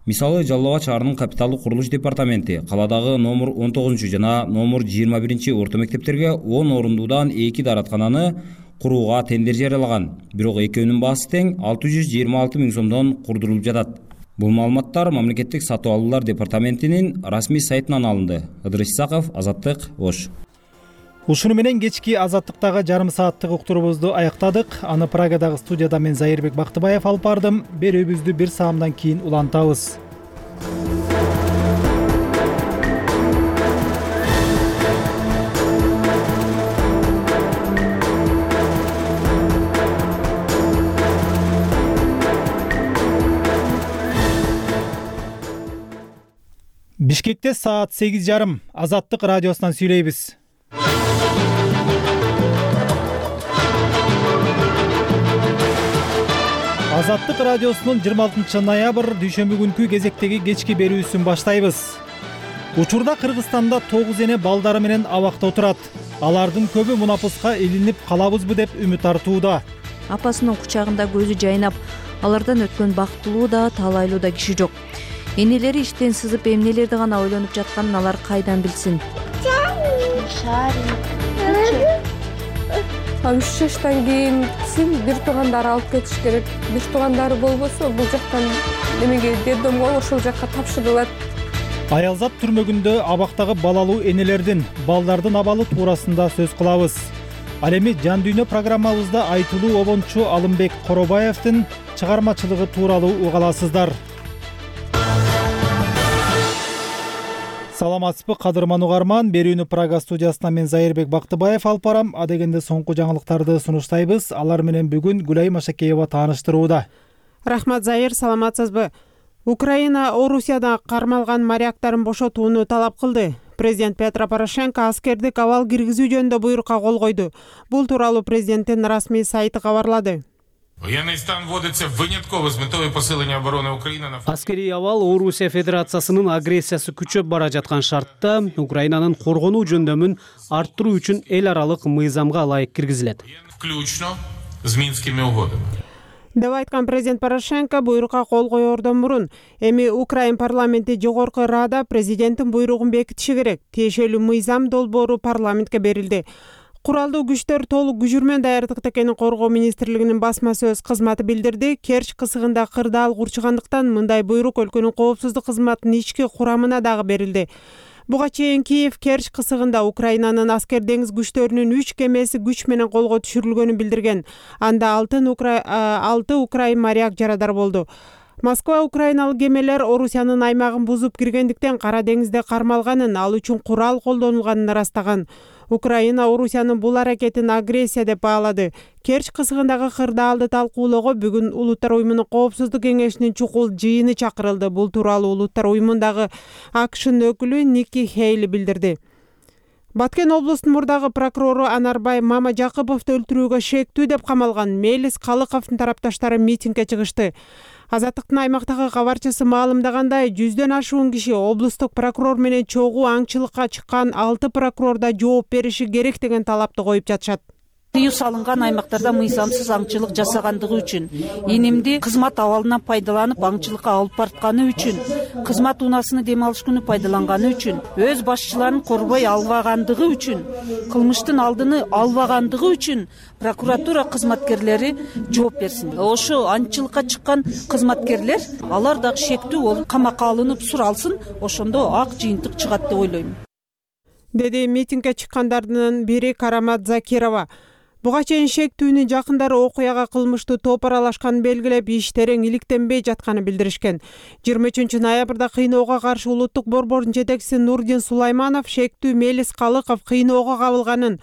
Мисалы, Жалал Абад шаарынын капиталдык курулуш департаменти каладагы номер 19 жана номер 21 орто мектептерге 10 орундуудан 2 даараткананы курууга тендер жарыялаган. Бирок экөөнүн баасы тең 626 миң сомдон курдурулуп жатат. Бул маалыматтар мамлекеттик сатып алуулар департаментинин расмий сайтынан алынды. Ыдырыс Исаков, Азаттык, Ош. Ушуну менен кечки Азаттыктагы жарым сааттык уктуруубузду аяктадык. Аны Прагадагы студияда мен Зайырбек Бактыбаев алып бардым. Берүүбүздү бир саамдан кийин улантабыз. Бишкекте саат 8:30. Азаттык радиосунан сүйлөйбүз. Азаттык радиосунун 26 ноябрь дүйшөмбү күнкү кезектеги кечки берүүсүн баштайбыз. Учурда Кыргызстанда 9 эне балдары менен абакта отурат. Алардын көбү мунапыска илинип калабызбы деп үмүт артууда. Апасынын кучагында көзү жайнап, алардан өткөн бактылуу да, талайлуу да киши жок. Энелери иштен сызып эмнелерди гана ойлонуп жатканын алар кайдан билсин? 3 жаштан кийин бир туугандары алып кетиш керек. Бир туугандары болбосо бул жактан немеге детдомго ошол жакка тапшырылат. Аялзат түрмөгүндө абактагы балалуу энелердин, балдардын абалы туурасында сөз кылабыз. Ал эми Жан дүйнө программабызда айтылуу обончу Алымбек Коробаевдин чыгармачылыгы тууралуу уга аласыздар. Саламатсызбы кадырман угарман, берүүнү Прага студиясынан мен Зайырбек Бактыбаев алып барам. Адегенде соңку жаңылыктарды сунуштайбыз. Алар менен бүгүн Гүлай Машакеева тааныштырууда. Рахмат Зайыр, саламатсызбы? Украина Орусияда кармалган моряктарын бошотууну талап кылды. Президент Петро Порошенко аскердик абал киргизүү жөнүндө буйрукка кол койду. Бул тууралуу президенттин расмий сайты кабарлады. Военный стан вводится вынятково с метой посиления обороны Украины. Аскерий абал Орусия Федерациясынын агрессиясы күчөп бара жаткан шартта Украинанын коргонуу жөндөмүн арттыруу үчүн эл аралык мыйзамга ылайык киргизилет. Включно с Минскими угодами. Деп айткан президент Порошенко буйрукка кол коердон мурун эми Украин парламенти жогорку Рада президенттин буйругун бекитиши керек. Тиешелүү мыйзам долбоору парламентке берилди. Куралдуу күчтөр толук күжүрмөн даярдыкта экенин Коргоо министрлигинин басма сөз кызматы билдирди. Керч кысыгында кырдаал курчугандыктан мындай буйрук өлкөнүн коопсуздук кызматынын ички курамына дагы берилди. Буга чейин Киев Керч кысыгында Украинанын аскер деңиз күчтөрүнүн 3 кемеси күч менен колго түшүрүлгөнүн билдирген. Анда 6 украин моряк жарадар болду. Москва украиналык кемелер Орусиянын аймагын бузуп киргендиктен Кара деңизде кармалганын, ал үчүн курал колдонулганын ырастаган. Украина Орусиянын бул аракетин агрессия деп баалады. Керч кысыгындагы кырдаалды талкуулоого бүгүн Улуттар уюмунун коопсуздук кеңешинин чукул жыйыны чакырылды. Бул тууралуу Улуттар уюмундагы АКШнын өкүлү Ники Хейли билдирди. Баткен облусунун мурдагы прокурору Анарбай Мамажакыповду өлтүрүүгө шектүү деп камалган Мелис Калыковдун тарапташтары митингге чыгышты. Азаттыктын аймактагы кабарчысы маалымдагандай, 100дөн ашуун киши облустук прокурор менен чогуу аңчылыкка чыккан 6 прокурор да жооп бериши керек деген талапты коюп жатышат. Тыюу салынган аймактарда мыйзамсыз аңчылык жасагандыгы үчүн, инимди кызмат абалынан пайдаланып аңчылыкка алып бартканы үчүн, кызмат унаасыны дем алыш күнү пайдаланганы үчүн, өз башчыларын корбой албагандыгы үчүн, кылмыштын алдыны албагандыгы үчүн прокуратура кызматкерлери жооп берсин. Ошо аңчылыкка чыккан кызматкерлер алар дагы шектүү болуп камакка алынып суралсын, ошондо ак жыйынтык чыгат деп ойлойм. Деди митингге чыккандардын бири Карамат Закирова. Буга чейин шектүүнүн жакындары окуяга кылмыштуу топ аралашканын белгилеп, иш терең иликтенбей жатканын билдиришкен. 23 ноябрда кыйноого каршы улуттук борбордун жетекчиси Нурдин Сулайманов шектүү Мелис Калыков кыйноого кабылганын,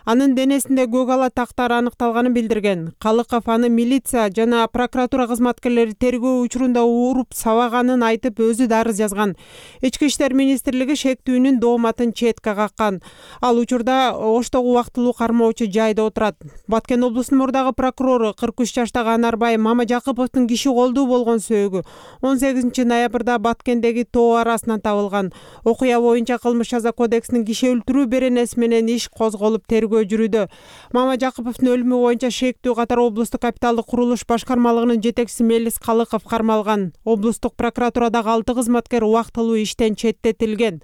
анын денесинде көк ала тактар аныкталганын билдирген. Калыков аны милиция жана прокуратура кызматкерлери тергөө учурунда уруп сабаганын айтып, өзү да арыз жазган. Ички иштер министрлиги шектүүнүн дооматын четке каккан. Ал учурда Оштогу убактылуу кармоочу жайда отурат. Баткен облусунун мурдагы прокурору 43 жаштагы Анарбай Мамажакыповдун киши колдуу болгон сөөгү 18 ноябрда Баткендеги тоо арасынан табылган. Окуя боюнча кылмыш жаза кодексинин киши өлтүрүү беренеси менен иш козголуп тергөө тергөө жүрүүдө. Мама Жакыповдун өлүмү боюнча шектүү катар облустук капиталдык курулуш башкармалыгынын жетекчиси Мелис Калыков кармалган. Облустук прокуратурадагы 6 кызматкер убактылуу иштен четтетилген.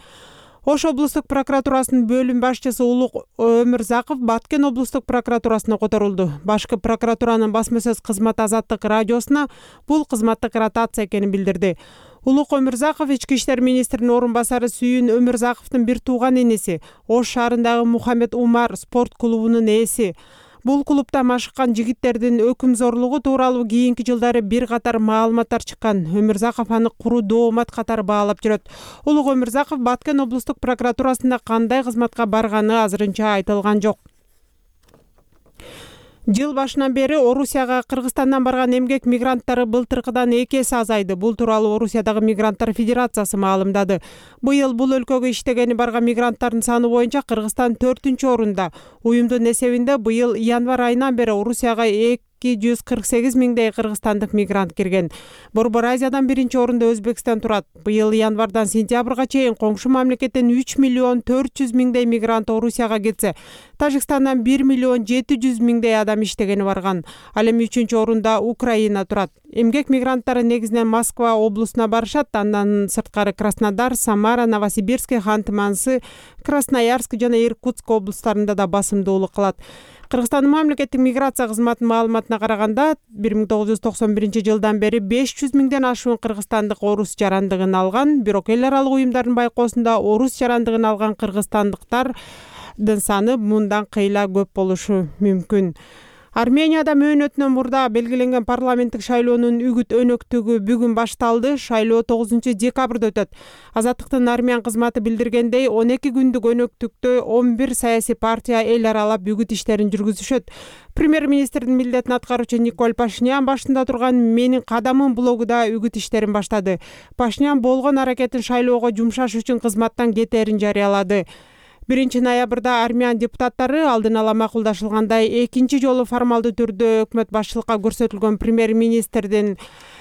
Ош облустук прокуратурасынын бөлүм башчысы Улук Өмүрзаков Баткен облустук прокуратурасына которулду. Башкы прокуратуранын басма сөз кызматы Азаттык радиосуна бул кызматтык ротация экенин билдирди. Улук Өмүрзаков ички иштер министринин орун басары Сүйүн Өмүрзаковдун бир тууган энеси, Ош шаарындагы Мухаммед Умар спорт клубунун ээси. Бул клубда машыккан жигиттердин өкүмзорлугу тууралуу кийинки жылдары бир катар маалыматтар чыккан. Өмүрзаков аны куру доомат катары баалап жүрөт. Улук Өмүрзаков Баткен облустук прокуратурасында кандай кызматка барганы азырынча айтылган жок. Жыл башынан бери Орусияга Кыргызстандан барган эмгек мигранттары былтыркыдан 2 эсе азайды. Бул тууралуу Орусиядагы мигранттар федерациясы маалымдады. Быйыл бул өлкөгө иштегени барган мигранттардын саны боюнча Кыргызстан 4-орунда. Уюмдун эсебинде быйыл январь айынан бери Орусияга 248 миңдей кыргызстандык мигрант кирген. Борбор Азиядан 1-орунда Өзбекстан турат. Быйыл январдан сентябрга чейин коңшу мамлекеттен 3 миллион 400 миңдей мигрант Орусияга кетсе, Тажикстандан 1 миллион 700 миңдей адам иштегени барган. Ал эми 3-орунда Украина турат. Эмгек мигранттары негизинен Москва облусуна барышат, андан сырткары Краснодар, Самара, Новосибирск, Ханты-Мансы, Красноярск жана Иркутск облустарында да басымдуулук кылат. Кыргызстандын мамлекеттик миграция кызматынын маалыматына караганда 1991 жылдан бери 500 миңден ашуун кыргызстандык орус жарандыгын алган, бирок эл аралык уюмдардын байкоосунда орус жарандыгын алган кыргызстандыктардын саны мындан кыйла көп болушу мүмкүн. Арменияда мөөнөтүнөн мурда белгиленген парламенттик шайлоонун үгүт өнөктүгү бүгүн башталды. Шайлоо 9-декабрда өтөт. Азаттыктын армян кызматы билдиргендей, 12 күндүк өнөктүктө 11 саясий партия эл аралап үгүт иштерин жүргүзүшөт. Премьер-министрдин милдетин аткаруучу Николь Пашинян башында турган «Менин кадамым» блогуда үгүт иштерин баштады. Пашинян болгон аракетин шайлоого жумшаш үчүн кызматтан кетерин жарыялады. 1 ноябрда армян депутаттары алдын ала макулдашылгандай экинчи жолу формалдуу түрдө өкмөт башчылыкка көрсөтүлгөн премьер-министрдин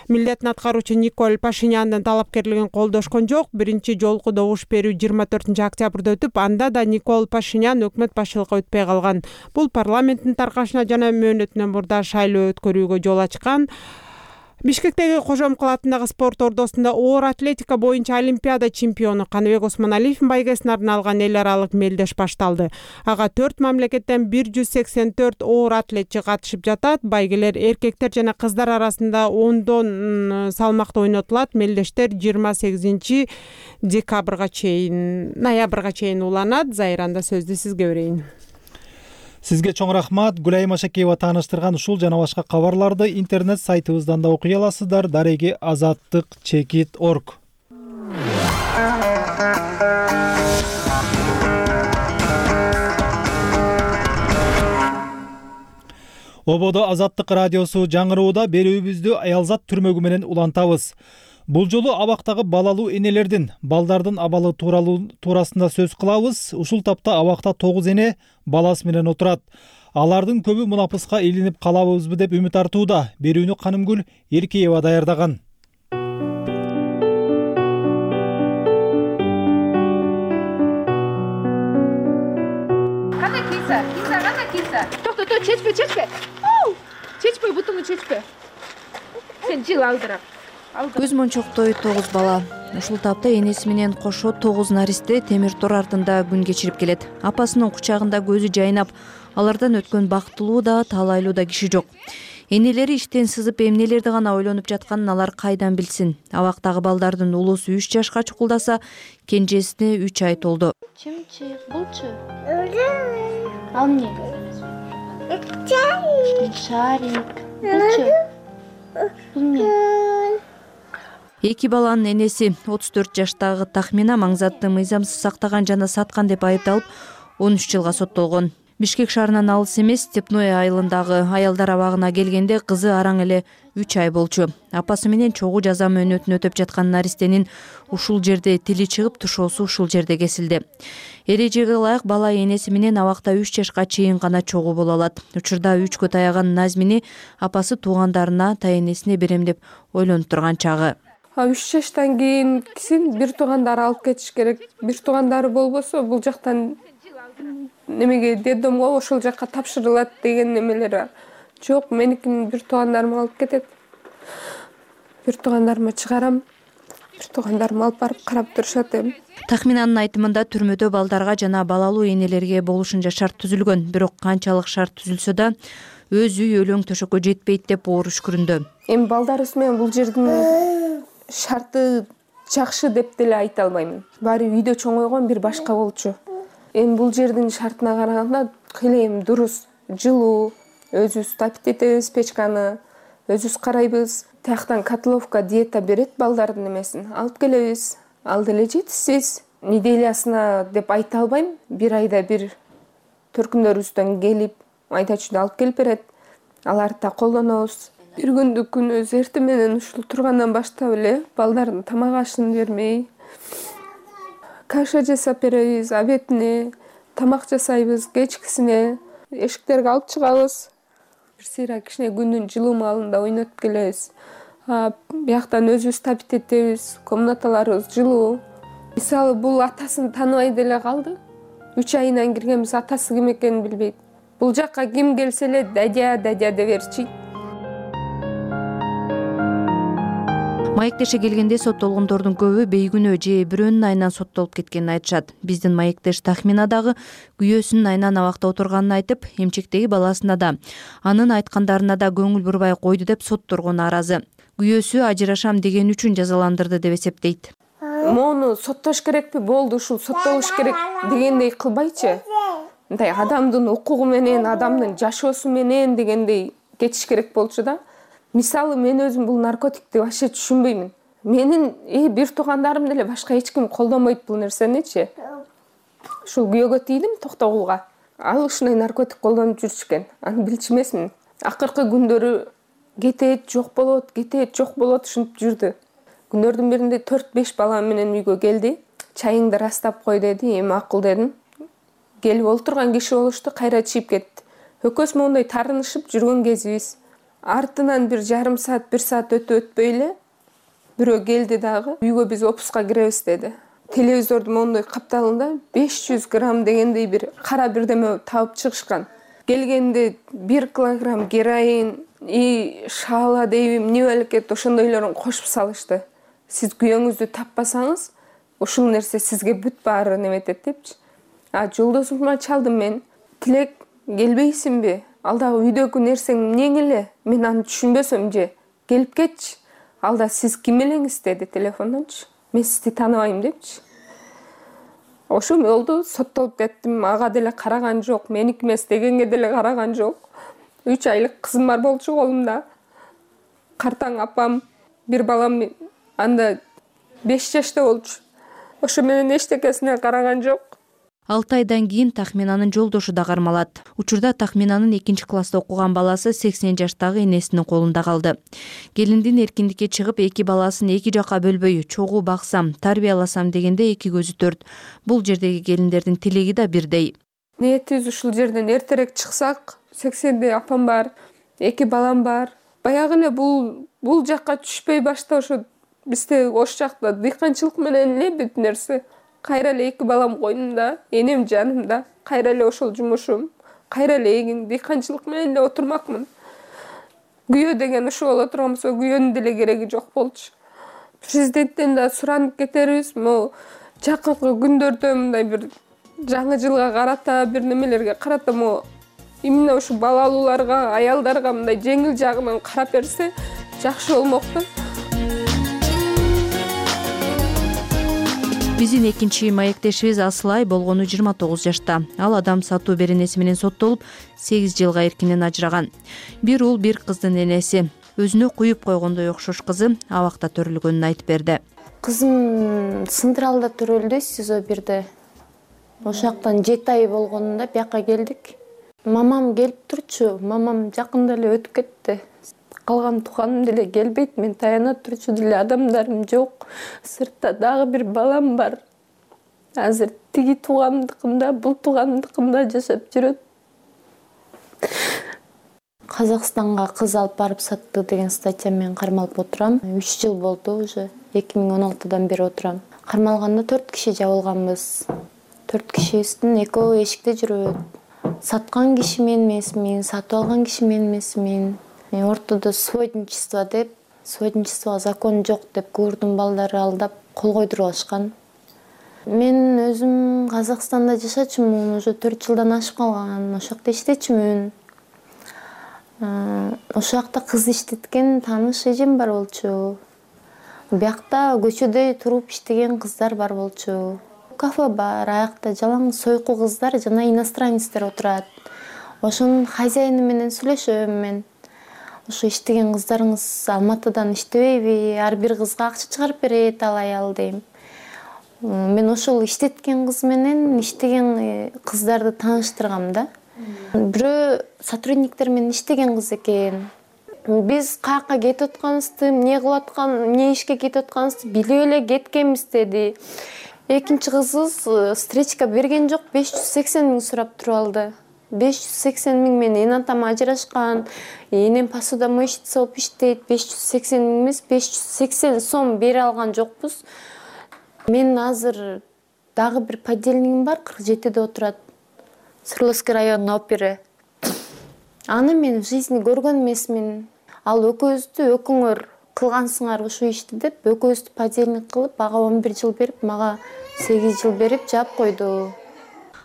милдетин аткаруучу Николь Пашиняндын талапкерлигин колдошкон жок. Биринчи жолку добуш берүү 24 октябрда өтүп, анда да Николь Пашинян өкмөт башчылыкка өтпөй калган. Бул парламенттин таркашына жана мөөнөтүнөн мурда шайлоо өткөрүүгө жол ачкан. Бишкектеги Кожомкул атындагы спорт ордосунда оор атлетика боюнча Олимпиада чемпиону Каныбек Осмоналиевдин байгесине арналган эл аралык мелдеш башталды. Ага 4 мамлекеттен 184 оор атлетчи катышып жатат. Байгелер эркектер жана кыздар арасында 10дон салмакта ойнотулат. Мелдештер 28 ноябрга чейин уланат. Зайранда сөздү сизге берейин. Сизге чоң рахмат. Гүлайым Ашакеева тааныштырган ушул жана башка кабарларды интернет сайтыбыздан да окуй аласыздар. Дареги azattik.org. Ободо Азаттык радиосу жаңырууда берүүбүздү аялзат түрмөгү менен улантабыз. Бул жолу абактагы балалуу энелердин, балдардын абалы туурасында сөз кылабыз. Ушул тапта абакта 9 эне баласы менен отурат. Алардын көбү мунапыска илинип калабызбы деп үмүт артууда. Берүүнү Канымгүл Эркеева даярдаган. Кандай киса? Кандай киса? Токто, чечпе. Чечпе, бутуңду чечпе. Сен жыл алдырап. Көз мончоктой 9 бала. Ушул тапта энеси менен кошо 9 наристе темир тор артында күн кечирип келет. Апасынын кучагында көзү жайнап, алардан өткөн бактылуу да, талайлуу да киши жок. Энелери иштен сызып эмнелерди гана ойлонуп жатканын алар кайдан билсин. Абактагы балдардын улуусу 3 жашка чукулдаса, кенжесине 3 ай толду. Чымчы, булчу. Ал эмне? Шарик. Булчу. Бул эмне? Эки баланын энеси 34 жаштагы Тахмина маңзатты мыйзамсыз сактаган жана саткан деп айыпталып 13 жылга соттолгон. Бишкек шаарынан алыс эмес Степное айылындагы аялдар абагына келгенде кызы араң эле 3 ай болчу. Апасы менен чогуу жаза мөөнөтүн өтөп жаткан наристенин ушул жерде тили чыгып, тушоосу ушул жерде кесилди. Эрежеге ылайык бала энеси менен абакта 3 жашка чейин гана чогуу боло алат. Учурда 3кө таяган Назмини апасы туугандарына, тайэнесине берем деп ойлонуп турган чагы. 3 жаштан кийин бир туугандары алып кетиш керек. Бир туугандары болбосо бул жактан немеге детдомго ошол жакка тапшырылат деген немелер бар. Жок, меникин бир туугандарым алып кетет. Бир туугандарыма чыгарам. Бир туугандарым алып барып карап турушат эми. Тахминанын айтымында түрмөдө балдарга жана балалуу энелерге болушунча шарт түзүлгөн. Бирок канчалык шарт түзүлсө да өз үй өлөң төшөккө жетпейт деп оор үшкүрүндө. Эми балдарыбыз менен бул жердин шарты жакшы деп деле айта албаймын. Баары үйдө чоңойгон бир башка болчу. Эми бул жердин шартына караганда кыйла эми дурус, жылуу, өзүбүз тапит этебиз печканы, өзүбүз карайбыз. Тияктан котловка диета берет балдардын немесин. Алып келебиз. Ал деле жетишсиз. Неделясына деп айта албайм. Бир айда бир төркүмдөрүбүздөн келип, айдачууда алып келип берет. Аларды да колдонобуз. Бир күндүк күнүбүз эртең менен ушул тургандан баштап эле балдардын тамак ашын бермей, каша жасап беребиз, обедине, тамак жасайбыз, кечкисине, эшиктерге алып чыгабыз. Бир сыйра кичине күндүн жылуу маалында ойнотуп келебиз. Бияктан өзүбүз тапит этебиз, комнаталарыбыз жылуу. Мисалы бул атасын тааныбай деле калды. 3 айынан киргенбиз, атасы ким экенин билбейт. Бул жакка ким келсе эле дадя деп берчи. Маектеше келгенде соттолгондордун көбү бейгүнөө же бирөөнүн айынан соттолуп кеткенин айтышат. Биздин маектеш Тахмина дагы күйөөсүнүн айынан абакта отурганын айтып, эмчектеги баласына да анын айткандарына да көңүл бурбай койду деп сотторго нааразы. Күйөөсү ажырашам деген үчүн жазаландырды деп эсептейт. Мону соттош керекпи? Болду, ушул соттолуш керек дегендей кылбайчы. Мындай адамдын укугу менен, адамдын жашоосу менен дегендей кетиш керек болчу да. Мисалы мен өзүм бул наркотикти вообще түшүнбөймүн. Менин бир туугандарым деле башка эч ким колдонбойт бул нерсеничи. Ушул күйөөгө тийдим Токтогулга. Ал ушундай наркотик колдонуп жүрчү. Аны билчү эмесмин. Акыркы күндөрү кетет, жок болот ушинтип жүрдү. Күндөрдүн биринде 4-5 балам менен үйгө келди. Чайыңды растап кой деди. Эми акыл дедим. Келип олтурган киши болушту, кайра чыгып кетти. Экөөбүз моундай тарынышып жүргөн кезибиз. Артынан бир жарым саат, 1 саат өтпөй эле бирөө келди дагы. Үйгө биз опуска киребиз деди. Телевизордун моундай капталында 500 грамм дегендей бир кара бирдеме табып чыгышкан. Келгенде 1 килограмм героин, шаала дейбим, эмне белекет ошондойлорун кошуп салышты. Сиз күйөөңүздү таппасаңыз, ушул нерсе сизге бүт баары неметет депчи. Жолдошума чалдым мен. Тилек, келбейсиңби? Ал дагы үйдөгү нерсең эмнең эле? Мен аны түшүнбөсөм же. Келип кетчи. Ал да сиз ким элеңиз деди телефондончу. Мен сизди тааныбайм депчи. Ошо болду, соттолуп кеттим. Ага деле караган жок, меники эмес дегенге деле караган жок. 3 айлык кызым бар болчу колумда. Картаң апам, бир балам анда 5 жашта болчу. Ошо менен эчтекесине караган жок. 6 айдан кийин Тахминанын жолдошу да кармалат. Учурда Тахминанын 2-класста окуган баласы 80 жаштагы энесинин колунда калды. Келиндин эркиндикке чыгып, 2 баласын 2 жакка бөлбөй, чогуу баксам, тарбияласам дегенде 2 көзү төрт. Бул жердеги келиндердин тилеги да бирдей. Ниетибиз ушул жерден эртерээк чыксак, 80де апам бар, 2 балам бар. Баягы эле бул жакка түшпөй башта ошо бизде ош жакта дыйканчылык менен эле бүт нерсе. Кайра эле 2 балам койнумда, энем жанымда, кайра эле ошол жумушум, кайра эле эгин дыйканчылык менен эле отурмакмын. Күйөө деген ушул боло турган болсо, күйөөнүн деле кереги жок болчу. Президенттен да суранып кетербиз, могу жакынкы күндөрдө мындай бир жаңы жылга карата, бир немелерге карата могу именно ушу балалууларга, аялдарга мындай жеңил жагынан карап берсе, жакшы болмокту. Биздин экинчи маектешибиз Асылай болгону 29 жашта. Ал адам сатуу беренеси менен соттолуп, 8 жылга эркинен ажыраган. Бир уул, бир кыздын энеси. Өзүнө куюп койгондой окшош кызы абакта төрөлгөнүн айтып берди. Кызым Централда төрөлдү, СИЗО 1де. Ошактан 7 ай болгонунда бияка келдик. Мамам келип турчу, мамам жакында эле өтүп кетти. Калган тууганым деле келбейт, мен таяна турчу деле адамдарым жок. Сыртта дагы бир балам бар. Азыр тиги туугандыкымда, бул туугандыкымда жашап жүрөт. Казакстанга кыз алып барып сатты деген статья мен кармалып отурам. 3 жыл болду уже. 2016-дан бери отурам. Кармалганда 4 киши жабылганбыз. 4 кишибиздин экөө эшикте жүрөт. Саткан киши мен эмесмин, сатып алган киши мен эмесмин. Ортодо сводничество деп, сводничествого закон жок деп курдун балдары алдап кол койдуруп алышкан. Мен өзүм Казакстанда жашачумун, уже 4 жылдан ашып калган. Ошол жакта иштечүмүн. Ошол жакта кыз иштеткен тааныш эжем бар болчу. Биякта көчөдө туруп иштеген кыздар бар болчу. Кафе бар, аякта жалаң сойку кыздар жана иностранецтер отурат. Ошонун хозяйыны менен сүйлөшөм мен. Ошо иштеген кыздарыңыз Алматыдан иштебейби? Ар бир кызга акча чыгарып берет ал аял дейм. Мен ошол иштеткен кыз менен иштеген кыздарды тааныштыргам да. Бирөө сотрудниктер менен иштеген кыз экен. Биз каяка кетип атканыбызды, эмне кылып аткан, эмне ишке кетип атканыбызды билип эле кеткенбиз деди. Экинчи кызыбыз встречка берген жок, 580 миң сурап туруп алды. 580 миң менен атам ажырашкан, энем посудомойщица болуп иштейт. 580 миң эмес, 580 сом бере алган жокпуз. Мен азыр дагы бир подельнигим бар, 47-де отурат. Свердловский районунун опери. Аны мен в жизни көргөн эмесмин. Ал экөөбүздү өкүңөр кылгансыңар ушул ишти деп, экөөбүздү подельник кылып, ага 11 жыл берип, мага 8 жыл берип жаап койду.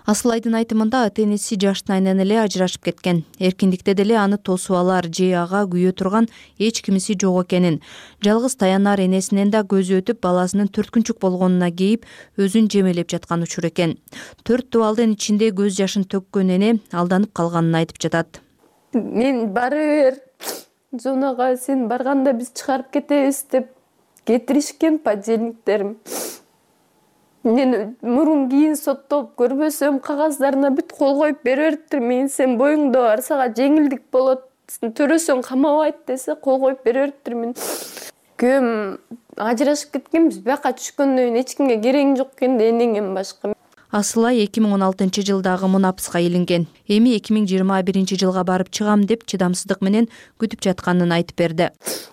Асылайдын айтымында ата-энеси жаштайынан эле ажырашып кеткен. Эркиндикте деле аны тосуп алар же ага күйө турган эч кимиси жок экенин, жалгыз таянар энесинен да көзү өтүп, баласынын 4 күнчүк болгонуна кейип, өзүн жемелеп жаткан учур экен. 4 дубалдын ичинде көз жашын төккөн эне алданып калганын айтып жатат. Мен бара бер, Жонага сен барганда биз чыгарып кетебиз деп кетиришкен подельниктерим. Мен мурун кийин соттолуп көрбөсөм, кагаздарына бүт кол коюп бере бериптир. Мен сен боюңда бар, сага жеңилдик болот, төрөсөң камабайт десе, кол коюп бере бериптир. Мен күйөөм ажырашып кеткенбиз, бияка түшкөндөн кийин эч кимге кереги жок экен да, энеңден башка. Асылай 2016 жылдагы мунапыска илинген. Эми 2021 жылга барып чыгам деп чыдамсыздык менен күтүп жатканын айтып берди.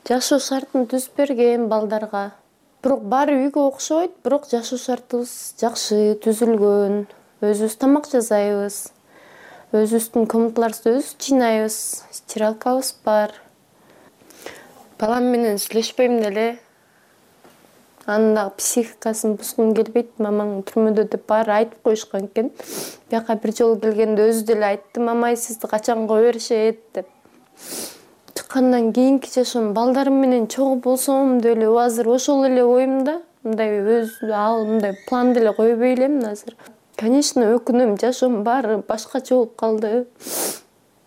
Жашоо шартын түзүп берген балдарга. Бирок баары үйгө окшойт, бирок жашоо шартыбыз жакшы түзүлгөн. Өзүбүз тамак жасайбыз. Өзүбүздүн комнаталарыбызды өзүбүз жыйнайбыз. Стиралкабыз бар. Балам менен сүйлөшпөйм деле. Анын дагы психикасын бузгум келбейт, мамаң түрмөдө деп баары айтып коюшкан экен. Бияка бир жолу келгенде өзү деле айтты, мамай сизди качан кое беришет деп. Чыккандан кийинки жашоом балдарым менен чогуу болсом деп эле азыр ошол эле оюмда. Мындай мындай план деле койбой элем азыр. Конечно, өкүнөм, жашоом баары башкача болуп калды.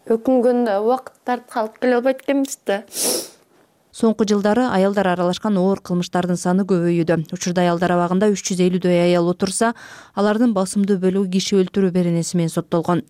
Өкүнгөндө убакыт тартып калып келе албайт экенбиз да. Соңку жылдары аялдар аралашкан оор кылмыштардын саны көбөйүүдө. Учурда аялдар абагында 350дөй аял отурса, алардын басымдуу бөлүгү киши өлтүрүү беренеси менен соттолгон.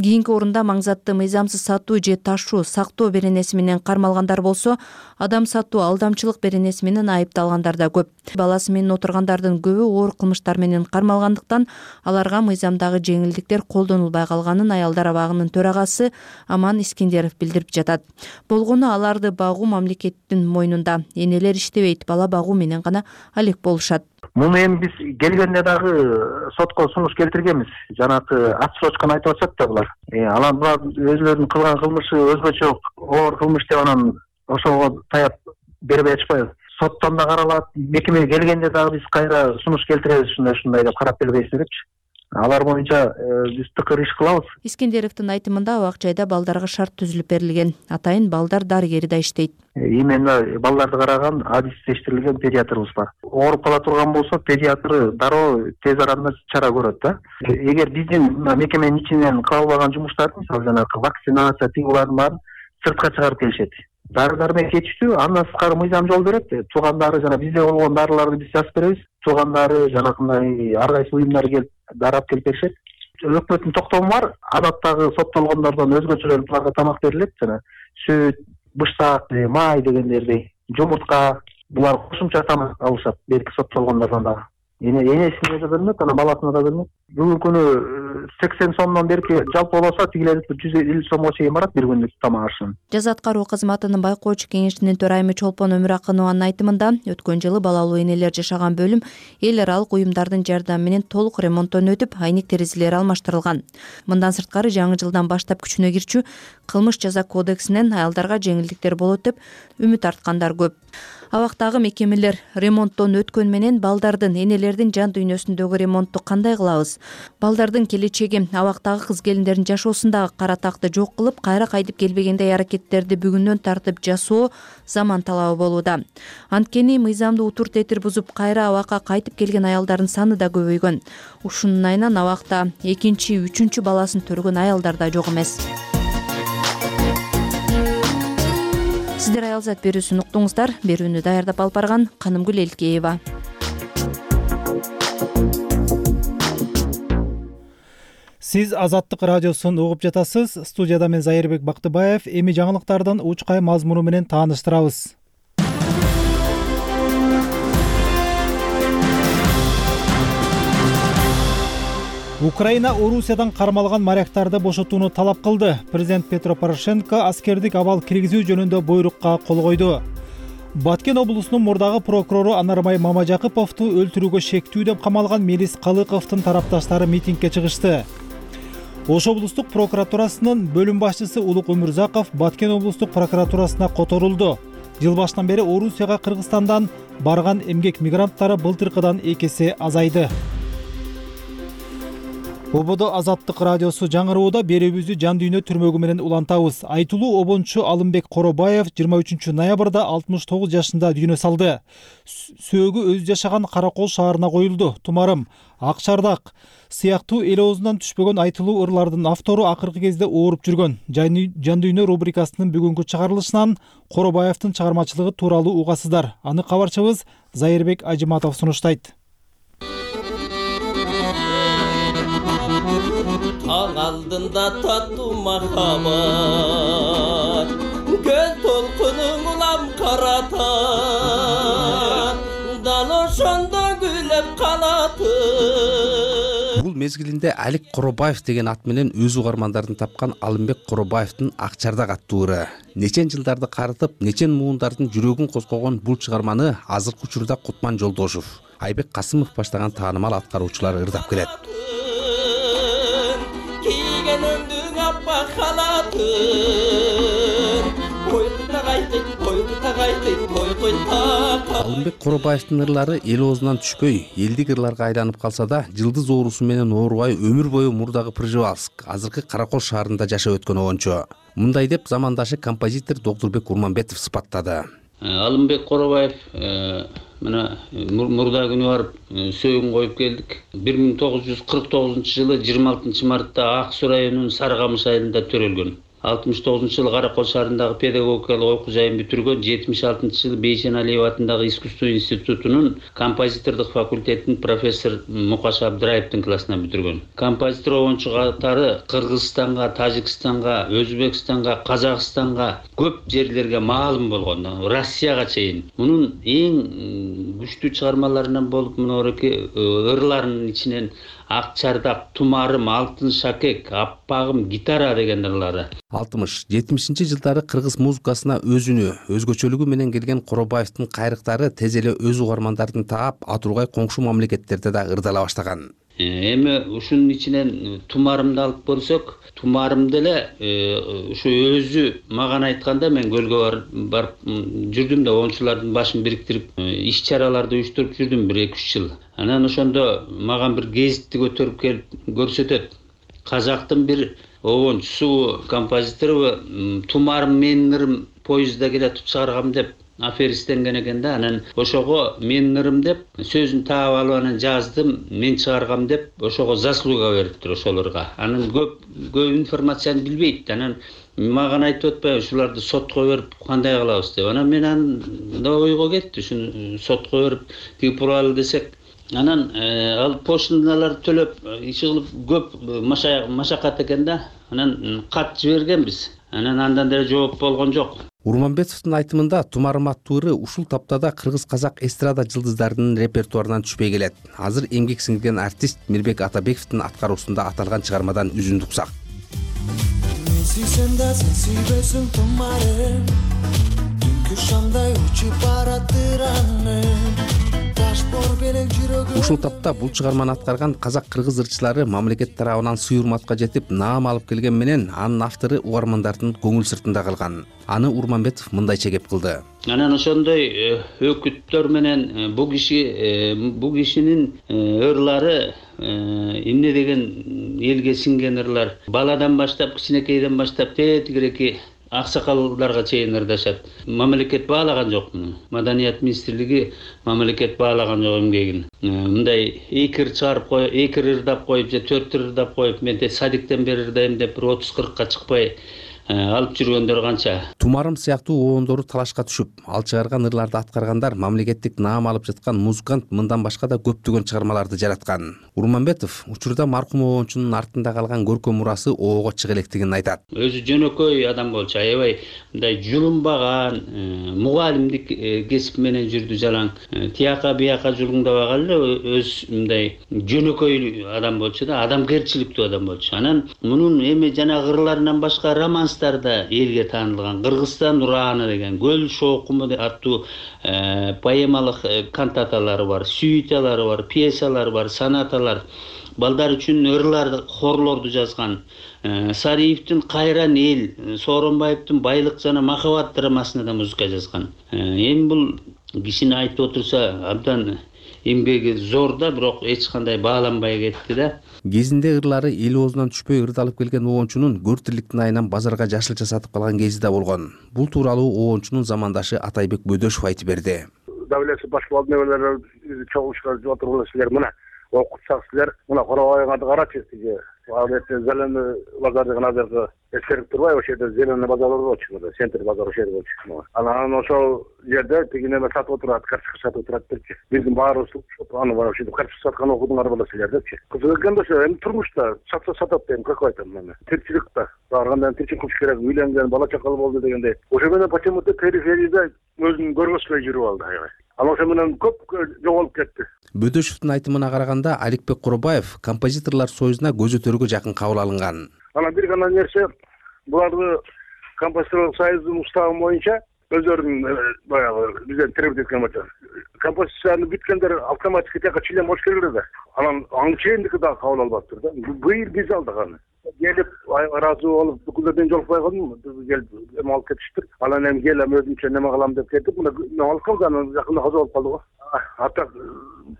Кийинки орунда маңзатты мыйзамсыз сатуу же ташуу, сактоо беренеси менен кармалгандар болсо, адам сатуу, алдамчылык беренеси менен айыпталгандар да көп. Баласы менен отургандардын көбү оор кылмыштар менен кармалгандыктан аларга мыйзамдагы жеңилдиктер колдонулбай калганын аялдар абагынын төрагасы Аман Искендеров билдирип жатат. Болгону аларды багуу мамлекеттин мойнунда. Энелер иштебейт, бала багуу менен гана алек болушат. Муну эми биз келгенде дагы сотко сунуш келтиргенбиз. Жанагы отсрочканы айтып атышат да булар. Анан булар өзүлөрүнүн кылган кылмышы өзгөчө оор кылмыш деп анан ошого таяп бербей атышпайбы. Соттон да каралат, мекемеге келгенде дагы биз кайра сунуш келтиребиз, ушундай деп карап бербейсиз депчи. Алар боюнча биз тыкыр иш кылабыз. Искендеровдун айтымында абак жайда балдарга шарт түзүлүп берилген. Атайын балдар дарыгери да иштейт. Именно балдарды караган адистештирилген педиатрыбыз бар. Ооруп кала турган болсо, педиатр дароо тез арада чара көрөт да. Эгер биздин мекеменин ичинен кыла албаган жумуштарды, мисалы жанагы вакцинация, тигулардын баарын сыртка чыгарып келишет. Дары-дармек кетиштүү, андан сырткары мыйзам жол берет. Туугандары жана бизде болгон дарыларды биз жазып беребиз. Туугандары жанагындай ар кайсы уюмдар келип дарап келип беришет. Өкмөттүн токтому бар. Адаттагы соттолгондордон өзгөчөлөр буларга тамак берилет, жана сүт, бышсак, май дегендерди, жумуртка, булар кошумча тамак алышат. Берки соттолгондордон дагы. Энесине да бермек, анан баласына да бермек. Бүгүнкү күнү 80 сомдон берки жалпы болсо тигилер 150 сомго чейин барат бир күндүк тамак ашын. Жаза аткаруу кызматынын байкоочу кеңешинин төрайымы Чолпон Өмүракынованын айтымында өткөн жылы балалуу энелер жашаган бөлүм эл аралык уюмдардын жардамы менен толук ремонттон өтүп, айник терезелери алмаштырылган. Мындан сырткары жаңы жылдан баштап күчүнө кирчү кылмыш жаза кодексинен аялдарга жеңилдиктер болот деп үмүт арткандар көп. Абактагы мекемелер ремонттон өткөн менен балдардын, энелердин жан дүйнөсүндөгү ремонтту кандай кылабыз? Балдардын келечеги абактагы кыз-келиндердин жашоосундагы кара такты жок кылып, кайра кайтып келбегендей аракеттерди бүгүндөн тартып жасоо заман талабы болууда. Анткени мыйзамды утур тетир бузуп, кайра абакка кайтып келген аялдардын саны да көбөйгөн. Ушунун айынан абакта 2-, 3- баласын төргөн аялдар да жок эмес. Сиздер аялзат берүүсүн уктуңуздар. Берүүнү даярдап алып барган Канымгүл Элкеева. Сиз Азаттык радиосун угуп жатасыз. Студияда мен Зайырбек Бактыбаев. Эми жаңылыктардын учкай мазмуну менен тааныштырабыз. Украина Орусиядан кармалган моряктарды бошотууну талап кылды. Президент Петро Порошенко аскердик абал киргизүү жөнүндө буйрукка кол койду. Баткен облусунун мурдагы прокурору Анарбай Мамажакыповду өлтүрүүгө шектүү деп камалган Мелис Калыковдун тарапташтары митингге чыгышты. Ош облустук прокуратурасынын бөлүм башчысы Улук Өмүрзаков Баткен облустук прокуратурасына которулду. Жыл башынан бери Орусияга Кыргызстандан барган эмгек мигранттары былтыркыдан 2 эсе азайды. Ободо Азаттык радиосу жаңырууда берүүбүздү жан дүйнө түрмөгү менен улантабыз. Айтылуу обончу Алымбек Коробаев 23 ноябрда 69 жашында дүйнө салды. Сөөгү өзү жашаган Каракол шаарына коюлду. Тумарым, Ак Чардак сыяктуу эл оозунан түшпөгөн айтылуу ырлардын автору акыркы кезде ооруп жүргөн. Жан дүйнө рубрикасынын бүгүнкү чыгарылышынан Коробаевдин чыгармачылыгы тууралуу угасыздар. Аны кабарчыбыз Зайырбек Ажыматов сунуштайт. Таң алдында таттуу махаббат, көл толкунуң улам каратат, дал ошондо күлүп калатын. Бул мезгилинде Алик Коробаев деген ат менен өз угармандарын тапкан Алымбек Коробаевдин Ак Чардак аттуу ыры. Нечен жылдарды карытып, нечен муундардын жүрөгүн козгогон бул чыгарманы азыркы учурда Кутман Жолдошов, Айбек Касымов баштаган таанымал аткаруучулар ырдап келет. Алымбек Коробаевдин ырлары эл оозунан түшпөй, элдик ырларга айланып калса да, жылдыз оорусу менен оорубай өмүр бою мурдагы Пржевальск, азыркы Каракол шаарында жашап өткөн обончу. Мындай деп замандашы композитор Доктурбек Урманбетов сыпаттады. Алымбек Коробаев мына мурда күнү барып сөөгүн коюп келдик. 1949 жылы 26 мартта Ак Суу районунун Сарыкамыш айылында төрөлгөн. 69 жылы Каракол шаарындагы педагогикалык окуу жайын бүтүргөн. 76 жылы Бейшен Алиев атындагы искусство институтунун композитордук факультетинин профессор Мукаш Абдыраевдин классына бүтүргөн. Композитор обончу катары Кыргызстанга, Тажикстанга, Өзбекстанга, Казакстанга көп жерлерге маалым болгон. Россияга чейин. Мунун эң күчтүү чыгармаларынан болуп мынореки ырларынын ичинен Ак Чардак, Тумарым, Алтын шакек, Аппагым, Гитара деген ырлары. 60-70 жылдары кыргыз музыкасына өзүнө, өзгөчөлүгү менен келген Коробаевдин кайрыктары тез эле өз угармандарын таап, атургай коңшу мамлекеттерде да ырдала баштаган. Эми ушунун ичинен Тумарымды алып көрсөк, Тумарым деле ушу өзү мага айтканда мен көлгө барып жүрдүм да оңчулардын башын бириктирип, иш-чараларды уюштуруп жүрдүм 1-2 жыл. Анан ошондо мага бир гезитти көтөрүп келип көрсөтөт. Казактын бир обончусу, композитору Тумарым менин ырым поездда келатып чыгаргам деп аферистенген экен да. Анан ошого менин ырым деп сөзүн таап алып анан жаздым, мен чыгаргам деп ошого заслуга бериптир ошол ырга. Анан көп информацияны билбейт. Анан мага айтып атпайбы ушуларды сотко берип кандай кылабыз деп. Анан мен анда ойго кетти, ушуну сотко берип тиги туралы десек. Анан ал пошталарды төлөп, иши кылып көп машакат экен да. Анан кат жибергенбиз. Анан андан деле жооп болгон жок. Урманбетовдун айтымында Тумарым аттуу ыры ушул таптада кыргыз-казак эстрада жылдыздарынын репертуарынан түшпөй келет. Азыр эмгек сиңирген артист Мирбек Атабековдун аткаруусунда аталган чыгармадан үзүндү уксак. Мен сүйсөм да сен сүйбөсүң тумарым, түнкү шамдай учуп бараттыр аңым. Ушул тапта бул чыгарманы аткарган казак-кыргыз ырчылары мамлекет тарабынан сый урматка жетип наам алып келген менен анын автору угармандардын көңүл сыртында калган. Аны Урманбетов мындайча кеп кылды. Анан ошондой өкүттөр менен бул кишинин ырлары эмне деген элге сиңген ырлар. Баладан баштап, кичинекейден баштап тетигиреки аксакалдарга чейин ырдашат. Мамлекет баалаган жок муну. Маданият министрлиги мамлекет баалаган жок эмгегин. Мындай 2 ыр чыгарып коюп, 2 ырдап коюп же 4 ырдап коюп, мен садиктен бери ырдайм деп 30-40ка чыкпай алып жүргөндөр канча. Тумарым сыяктуу обондору талашка түшүп, ал чыгарган ырларды аткаргандар мамлекеттик наам алып жаткан музыкант мындан башка да көптөгөн чыгармаларды жараткан. Урманбетов учурда маркум обончунун артында калган көркөм мурасы оого чыга электигин айтат. Өзү жөнөкөй адам болчу, аябай мындай жулунбаган, мугалимдик кесип менен жүрдү жалаң. Тияка бияка жулуңдабаган эле өз мындай жөнөкөй адам болчу да, адамгерчиликтүү адам болчу. Анан мунун эми жана ырларынан башка романстарда элге таанылган Кыргызстан ураны деген Көл шоокуму аттуу поэмалык кантаталары бар, сюиталары бар, пьесалары бар, сонаталар. Балдар үчүн ырлар, хорлорду жазган. Сариевдин Кайран эл, Сооронбаевдин Байлык жана махабат драмасына да музыка жазган. Эми бул кишини айтып отурса абдан эмгеги зор да, бирок эч кандай бааланбай кетти да. Кезинде ырлары эл оозунан түшпөй ырдалып келген обончунун көр тирликтин айынан базарга жашылча сатып калган кези да болгон. Бул тууралуу обончунун замандашы Атайбек Бөдөшов айтып берди. Давлеси башкалар небелер чогулушка отуруп силер мына окутсак силер мына Коробайгарды карачы сизе. Зеленый базар деген азыркы эскерип турбайбы, ошол жерде зеленый базар болчу, центр базар ошол жерде болчу. Анан ошол жерде тиги неме сатып отурат, карточка сатып отураттырчы. Биздин баарыбыз аны бар ошентип карточка саткан окудуңар боло силер депчи. Кызык экен да ошо эми турмушта сатса сатат дейм, как айтам мен. Тирчиликте баргандан тирчилик кылыш керек, үйлөнгөн, бала чакалы болду дегендей. Ошо менен почему-то периферияда өзүн көргөзбөй жүрүп алды аябай. Ал ошо менен көп жоголуп кетти. Бөдөшовдун айтымына караганда Аликбек Куробаев композиторлор союзуна көзөтөргө жакын кабыл алынган. Анан бир гана нерсе, буларды композиторлор союзунун уставы боюнча өздөрүнүн баягы бизден требовать эткен болчу. Композицияны бүткөндөр автоматически тияка член болуш керек да. Анан аң чейиндики да кабыл албаптыр да. Быйыл биз алдык аны. Келип ыраазы болуп бүкүлдөрдөн жолукпай калдым, келип эме алып кетиштир. Анан эми келем өзүмчө неме кылам деп кетип, мына алып калган, жакында каза болуп калды го. Ата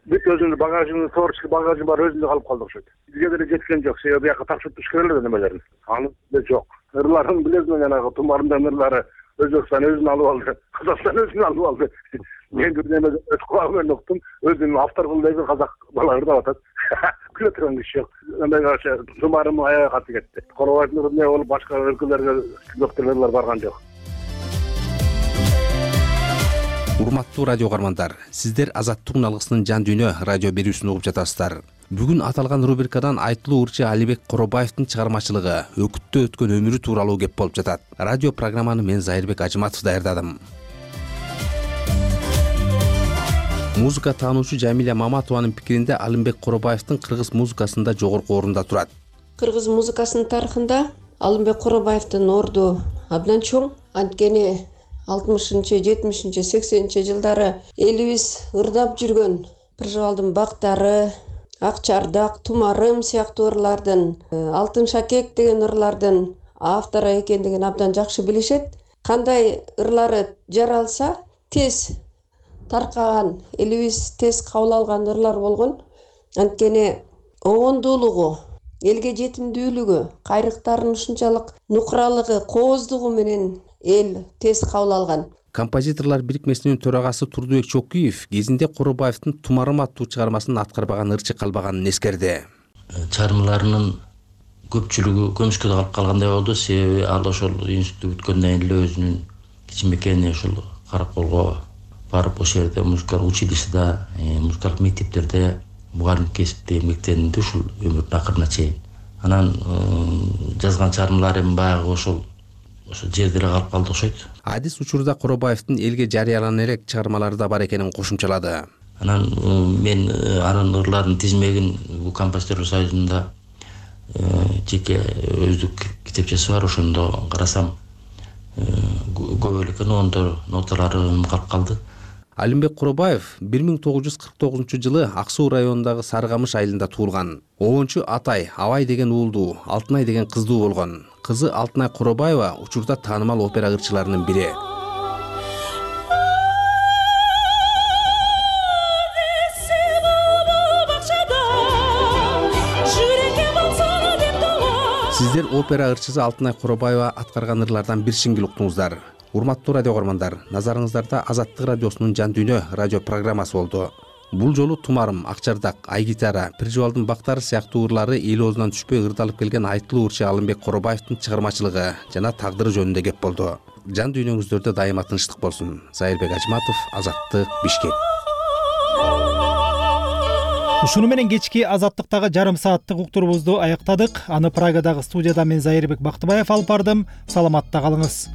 бүт өзүнүн багажын, творческий багажы бар, өзүндө калып калды окшойт. Бизге деле жеткен жок, себеби бияка тапшырып туш керек эле немелерин. Аны деле жок. Ырларын билесиң, жанагы Тумарымдын ырлары Өзбекстан өзүн алып алды, Казакстан өзүн алып алды. Мен бир неме өткүлөгү менен уктум, өзүнүн автор кылып казак бала ырдап атат. Күлө турган киши жок. Андай каршы Тумарым аябай каты кетти. Коробайдын эмне болуп башка өлкөлөргө доктурлар барган жок. Урматтуу радио угармандар, сиздер Азаттыктын алгысынын жан дүйнө радио берүүсүн угуп жатасыздар. Бүгүн аталган рубрикадан айтылуу ырчы Алибек Коробаевдин чыгармачылыгы, өкүттө өткөн өмүрү тууралуу кеп болуп жатат. Радио программаны мен Зайырбек Ажыматов даярдадым. Музыка таануучу Жамиля Маматованын пикиринде Алимбек Коробаевдин кыргыз музыкасында жогорку орунда турат. Кыргыз музыкасынын тарыхында Алимбек Коробаевдин орду абдан чоң. Анткени 60-чы, 70-чи, 80-чи жылдары элибиз ырдап жүргөн Пыржабалдын бактары, Ак Чардак, Тумарым сыяктуу ырлардын, Алтын Шакек деген ырлардын автору экендигин абдан жакшы билишет. Кандай ырлары жаралса, тез таркаган, элибиз тез кабыл алган ырлар болгон. Анткени обондуулугу, элге жетимдүүлүгү, кайрыктарынын ушунчалык нукуралыгы, кооздугу менен эл тез кабыл алган. Композиторлор бирикмесинин төрагасы Турдубек Чокуев кезинде Коробаевдин Тумарым аттуу чыгармасын аткарбаган ырчы калбаганын эскерди. Чыгармаларынын көпчүлүгү көмүшкө калып калгандай болду, себеби ал ошол институтты бүткөндөн эле өзүнүн кичинекей ошол Караколго барып ошол жерде музыкалык училищеде, музыкалык мектептерде мугалим кесипте эмгектенди ушул өмүрүнүн акырына чейин. Анан жазган чыгармалары эми баягы ошол ошо жерде эле калып калды окшойт. Адис учурда Куробаевдин элге жарыялана элек чыгармалары да бар экенин кошумчалады. Анан мен анын ырларын тизмегин бул композиторлор союзунда жеке өздүк китепчеси бар, ошондо карасам көп эле экен, ноталары калып калды. Алимбек Куробаев 1949-жылы Ак Суу районундагы Сарыкамыш айылында туулган. Обончу атай Абай деген уулдуу, Алтынай деген кыздуу болгон. Кызы Алтынай Куробаева учурда таанымал опера ырчыларынын бири. Сиздер опера ырчысы Алтынай Куробаева аткарган ырлардан бир сиңгил уктуңуздар. Урматтуу радио көрмандар, назарыңыздарда Азаттык радиосунун Жан дүйнө радио программасы болду. Бул жолу Тумарым, Акчардак, Ай гитара, Пиржубалдын бактары сыяктуу ырлары эл оозунан түшпөй ырдалып келген айтылуу ырчы Алымбек Куробаевдин чыгармачылыгы жана тагдыры жөнүндө кеп болду. Жан дүйнөңүздөрдө дайыма тынчтык болсун. Зайырбек Ажматов, Азаттык, Бишкек. Ушуну менен кечки Азаттыктагы жарым сааттык уктурубузду аяктадык. Аны Прагадагы студияда мен Зайырбек Бактыбаев алып бардым. Саламатта калыңыз.